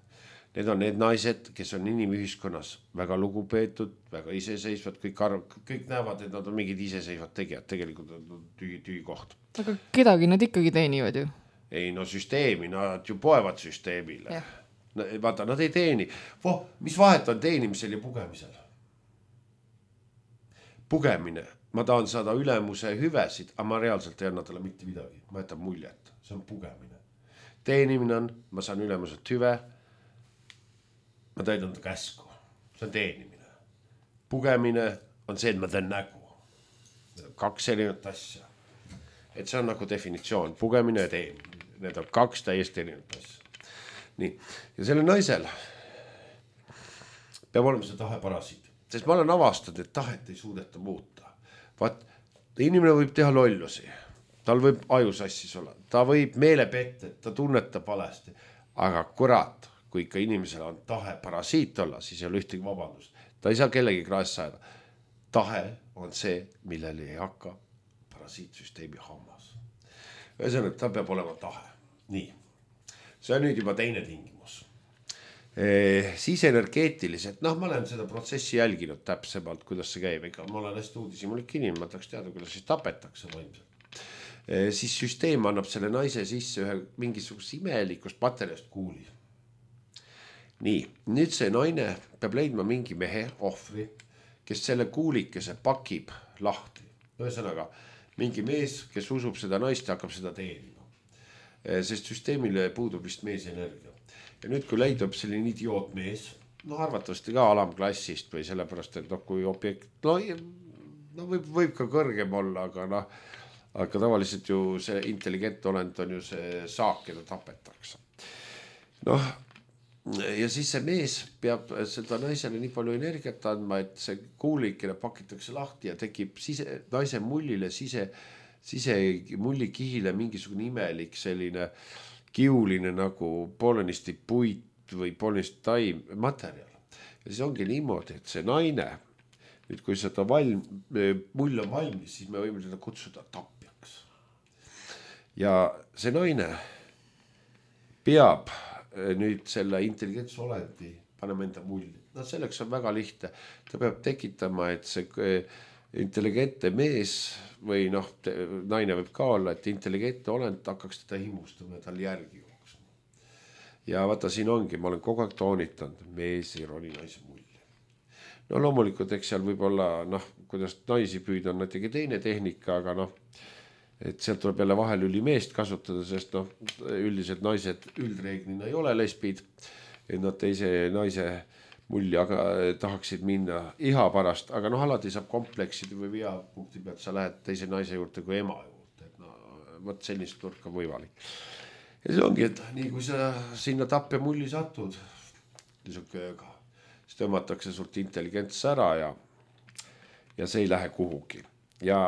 need on need naised, kes on inimühiskonnas väga lugupeetud, väga iseseisvad, kõik, arv, kõik näevad, et nad on mingid iseseisvad tegijad, tegelikult on tühi, tühi koht. Aga kedagi nad ikkagi teenivad ju? Ei, no süsteemi, nad ju poevad süsteemile. Vaata, nad ei teeni. Voh, mis vahet on teenimisel ja pugemisel? Pugemine. Ma tahan saada ülemuse hüvesid, aga ma reaalselt ei anna talle mitte midagi. Ma jätan muljet. See on pugemine. Teenimine on, ma saan ülemuselt hüve, ma täidan ta käsku. See on teenimine. Pugemine on see, et ma teen nägu. Kaks erinevat asja. Et see on nagu definitsioon. Pugemine ja teenimine. Need on kaks täiesti erinevat asja. Nii. Ja selle naisel peab olema see tahe parasiit. Sest ma olen avastanud, et tahet ei suudeta muuta. Vaat, inimene võib teha lollusi, tal võib ajusassis olla, ta võib meele pette, ta tunnetab valesti, aga kurat, kui ikka inimesel on tahe parasiit olla, siis ei ole ühtegi vabandust. Ta ei saa kellegi kraas saada. Tahe on see, millele ei hakka parasiitsüsteemi hammas. Ühesõnaga, ta peab olema tahe. Nii, see on nüüd juba teine tingimus. Eh, siis energeetiliselt, noh, ma olen seda protsessi jälginud täpsemalt, kuidas see käib, ega ma olen hästi uudisimulik inimene, ma tahaks teada, kuidas siis tapetakse vaimselt. Eh, siis süsteem annab selle naise sisse ühe mingisugust imelikust paterjast kuuli. Nii, nüüd see naine peab leidma mingi mehe, ohvri, kes selle kuulikese pakib lahti. Ühesõnaga, mingi mees, kes usub seda naist ja hakkab seda teenima. Eh, sest süsteemile puudub vist mees energia. Ja nüüd, kui leidub selline idioot mees, no arvatavasti ka alamklassist või sellepärast, et noh, kui objekt, no, no võib, võib ka kõrgem olla, aga noh, aga tavaliselt ju see intelligent olend on ju see saak, keda tapetakse. Noh, ja siis see mees peab seda naisele nii palju energiat andma, et see kuulikene pakitakse lahti ja tekib sise, naise mullile, sise, sise mullikihile mingisugune imelik selline kiuline nagu poolenisti puit või poolenisti taim materjal. Ja siis ongi niimoodi, et see naine, nüüd kui seda valm, mull on valmis, siis me võime seda kutsuda tapjaks. Ja see naine peab nüüd selle intelligentse olendi panema enda mulli. No selleks on väga lihtne. Ta peab tekitama, et see intelligentne mees või noh, naine võib ka olla, et intelligentne olend hakkaks teda himustama ja tal järgi jooksma. Ja vaata, siin ongi, ma olen kogu aeg toonitanud, mees ei roni naise mulli. No loomulikult, eks seal võib olla, noh, kuidas naisi püüda on näitegi teine tehnika, aga noh, et sealt tuleb jälle vahelüli meest kasutada, sest noh, üldiselt naised üldreeglina ei ole lesbid, et nad teise naise mulli aga tahaksid minna iha pärast, aga noh, alati saab komplekside või viapunkti pealt, sa lähed teise naise juurde kui ema juurde, et no, võt sellist turka võimalik. Ja see ongi, et nii kui sa sinna tapja mulli satud, kööga, siis tõmmatakse sult intelligents ära ja, ja see ei lähe kuhugi. Ja,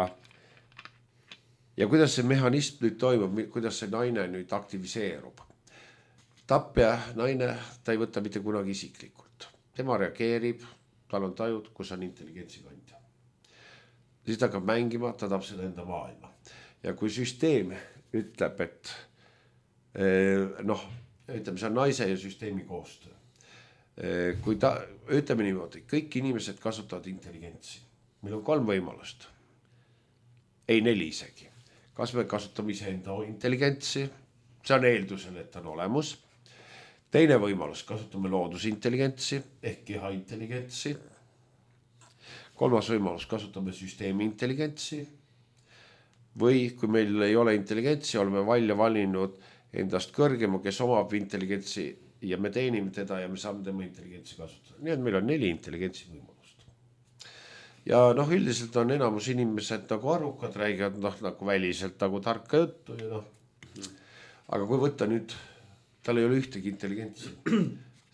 ja kuidas see mehhanism nüüd toimub, kuidas see naine nüüd aktiviseerub? Tapja naine, ta ei võta mitte kunagi isiklikult. Tema reageerib, tal on tajud, kus on intelligentsi kandja. Siis ta hakkab mängima, ta tahab seda enda maailma. Ja kui süsteem ütleb, et noh, ütleme, see on naise ja süsteemi koostöö. Kui ta, ütleme niimoodi, kõik inimesed kasutavad intelligentsi. Meil on kolm võimalust. Ei neli isegi. Kas me kasutame ise enda intelligentsi? See on eeldusel, et on olemus. Teine võimalus, kasutame loodusintelligentsi ehk keha intelligentsi. Kolmas võimalus, kasutame süsteemi intelligentsi. Või kui meil ei ole intelligentsi, oleme välja valinud endast kõrgema, kes omab intelligentsi ja me teenime teda ja me saame tema intelligentsi kasutada. Nii et meil on neli intelligentsi võimalust. Ja noh, üldiselt on enamus inimesed nagu arukad, räägivad noh, nagu väliselt nagu tarka juttu. Ja noh. Aga kui võtta nüüd tal ei ole ühtegi intelligentsi,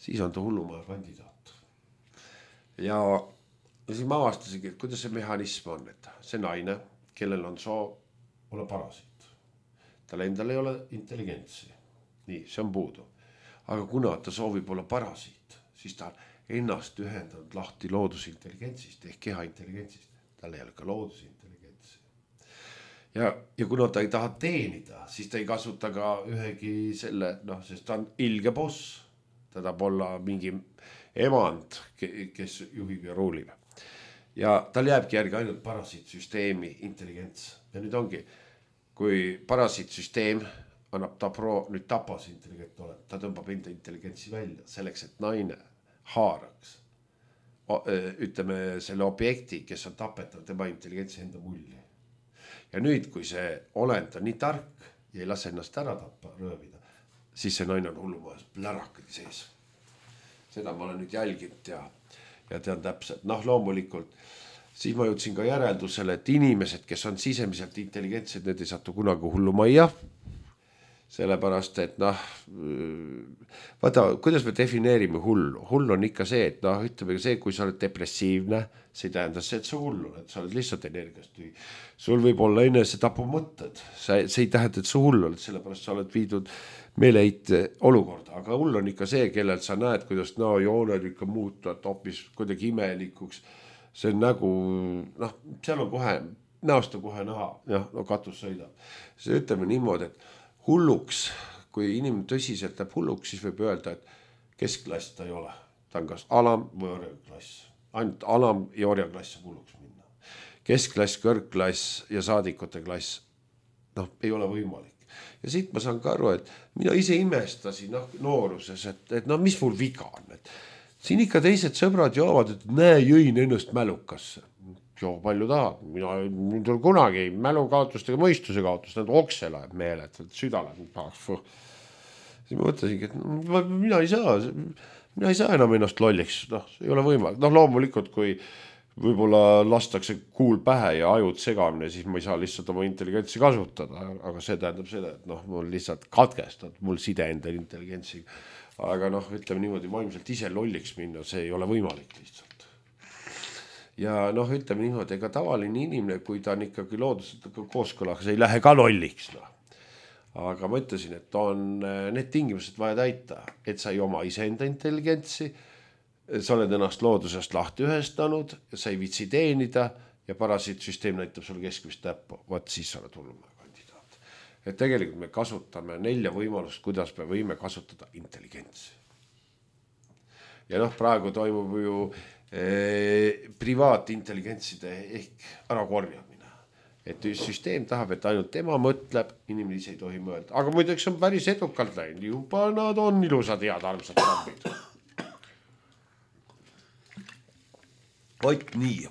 siis on ta hullumaja kandidaat. Ja, ja siis ma avastasingi, et kuidas see mehhanism on, et see naine, kellel on soov olla parasiit. Tal endal ei ole intelligentsi. Nii, see on puudu. Aga kuna ta soovib olla parasiit, siis ta ennast ühendanud lahti loodusintelligentsist ehk keha intelligentsist. Tal ei ole ka loodusintelligentsi. Ja, ja kuna ta ei taha teenida, siis ta ei kasuta ka ühegi selle, noh, sest ta on ilge boss. ta tahab olla mingi emand, kes juhib ja ruulib. Ja tal jääbki järgi ainult parasiitsüsteemi intelligents. Ja nüüd ongi, kui parasiitsüsteem annab ta pro, nüüd tapas intelligent ole, ta tõmbab enda intelligentsi välja selleks, et naine haaraks ütleme selle objekti, kes on tapetav, tema intelligentsi enda mulli. Ja nüüd, kui see olend on nii tark ja ei lase ennast ära tappa, röövida, siis see naine on hullumajas plärakad sees. Seda ma olen nüüd jälginud ja, ja tean täpselt. Noh, loomulikult, siis ma jõudsin ka järeldusele, et inimesed, kes on sisemiselt intelligentsed, need ei satu kunagi hullumajja. Sellepärast, et noh, vaata, kuidas me defineerime hullu? Hull on ikka see, et noh, ütleme see, kui sa oled depressiivne, see ei tähenda see, et sa hullu, et sa oled lihtsalt energiast. Sul võib olla enese tapu mõtted, see ei tähenda, et sa hullu oled, sellepärast sa oled viidud meeleheite olukorda, aga hull on ikka see, kellel sa näed, kuidas no, jooned ikka muutuvad hoopis kuidagi imelikuks, see on nägu, noh, seal on kohe, näost on kohe näha, jah, no katus sõidab. See ütleme niimoodi, et hulluks, kui inimene tõsiselt läheb hulluks, siis võib öelda, et keskklass ta ei ole. Ta on kas alam või orjaklass. Ainult alam ja orjaklass saab hulluks minna. Keskklass, kõrgklass ja saadikute klass, noh, ei ole võimalik. Ja siit ma saan ka aru, et mina ise imestasin noh, nooruses, et, et no mis mul viga on. Et siin ikka teised sõbrad joovad, et näe, jõin ennast mälukasse. Joo, palju tahad. Mina nüüd on kunagi mälu kaotust ega mõistuse kaotust, need okse läheb meele, et süda läheb. Siis ma mõtlesingi, et mina ei saa, mina ei saa enam ennast lolliks. Noh, ei ole võimalik. Noh, loomulikult, kui võib-olla lastakse kuul pähe ja ajud segamine, siis ma ei saa lihtsalt oma intelligentsi kasutada. Aga see tähendab seda, et noh, mul lihtsalt katkestad mul side enda intelligentsiga. Aga noh, ütleme niimoodi, vaimselt ise lolliks minna, see ei ole võimalik lihtsalt. Ja noh, ütleme niimoodi, ega tavaline inimene, kui ta on ikkagi looduselt kooskõlas, ei lähe ka lolliks. No. Aga ma ütlesin, et on need tingimused vaja täita, et sa ei oma iseenda intelligentsi, sa oled ennast loodusest lahti ühestanud, sa ei vitsi teenida ja parasiitsüsteem näitab sulle keskmist täppu. Vaat siis sa oled hullumaja kandidaat. Et tegelikult me kasutame nelja võimalust, kuidas me võime kasutada intelligentsi. Ja noh, praegu toimub ju privaatintelligentside ehk ära korjamine. Et süsteem tahab, et ainult tema mõtleb, inimene ise ei tohi mõelda. Aga muideks on päris edukalt läinud. Juba nad on ilusad head armsad trambid. Oit nii.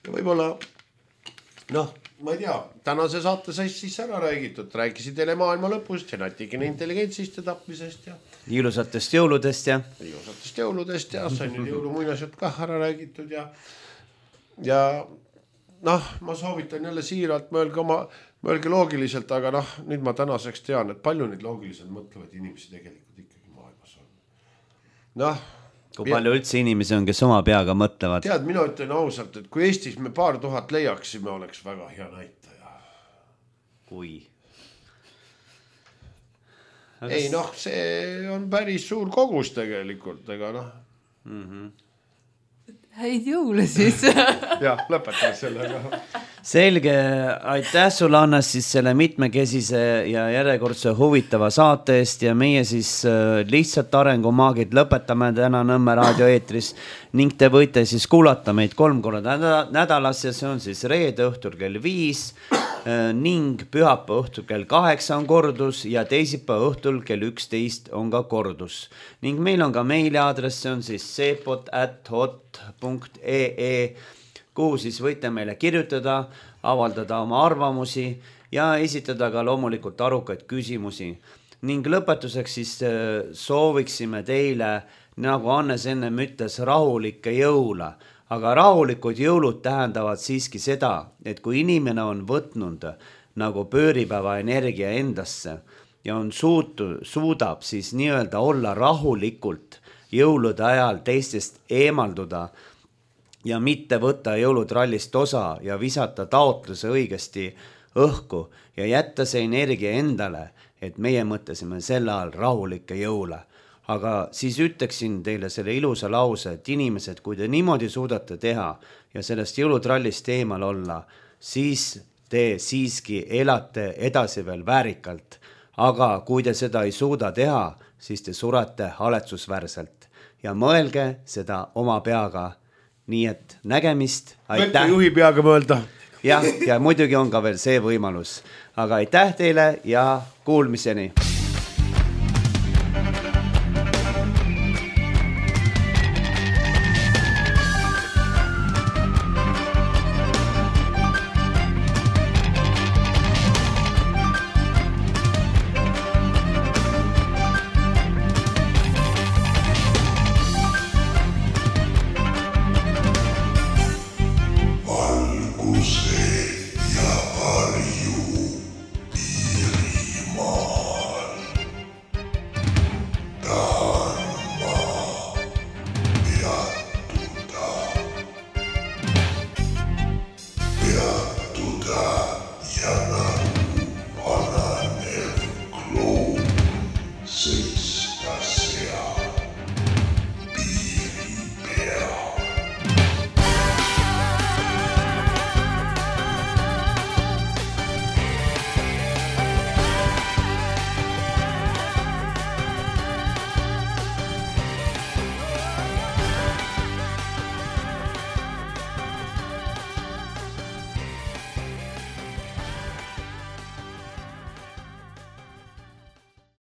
Ja võib-olla, noh, ma ei tea, tänase saate sai siis ära räägitud. Rääkisi teile maailma lõpust ja natikene intelligentsist ja tapmisest ja ilusatest jõuludest ja ilusatest jõuludest ja sai nüüd jõulumuinasjad ka ära räägitud ja ja noh, ma soovitan jälle siiralt mõelge oma, mõelge loogiliselt, aga noh, nüüd ma tänaseks tean, et palju neid loogiliselt mõtlevad inimesi tegelikult ikkagi maailmas on. Noh, kui palju üldse inimesi on, kes oma peaga mõtlevad? Tead, mina ütlen ausalt, et kui Eestis me paar tuhat leiaksime, oleks väga hea näitaja. Kui? Aga ei noh, see on päris suur kogus tegelikult, ega noh. Mm-hmm. Häid jõule siis. Jah, lõpetame sellega. Selge, aitäh sulle Annas siis selle mitmekesise ja järjekordse huvitava saate eest ja meie siis lihtsalt arengumaagid lõpetame täna Nõmme raadio eetris ning te võite siis kuulata meid kolm korda nädalas ja see on siis reede õhtul kell viis ning pühapäeva õhtul kell kaheksa on kordus ja teisipäeva õhtul kell üksteist on ka kordus. Ning meil on ka meiliaadress, see on siis seepot at hot punkt ee, kuhu siis võite meile kirjutada, avaldada oma arvamusi ja esitada ka loomulikult arukaid küsimusi. Ning lõpetuseks siis sooviksime teile, nagu Annes ennem ütles, rahulikke jõule. Aga rahulikud jõulud tähendavad siiski seda, et kui inimene on võtnud nagu pööripäeva energia endasse ja on suutu, suudab siis nii-öelda olla rahulikult jõulude ajal teistest eemalduda ja mitte võtta jõulutrallist osa ja visata taotluse õigesti õhku ja jätta see energia endale, et meie mõtlesime selle all rahulikke jõule. Aga siis ütleksin teile selle ilusa lause, et inimesed, kui te niimoodi suudate teha ja sellest jõulutrallist eemal olla, siis te siiski elate edasi veel väärikalt. aga kui te seda ei suuda teha, siis te surate haletsusväärselt ja mõelge seda oma peaga. Nii et nägemist, aitäh. Võite juhi peaga mõelda. Jah, ja muidugi on ka veel see võimalus. Aga aitäh teile ja kuulmiseni.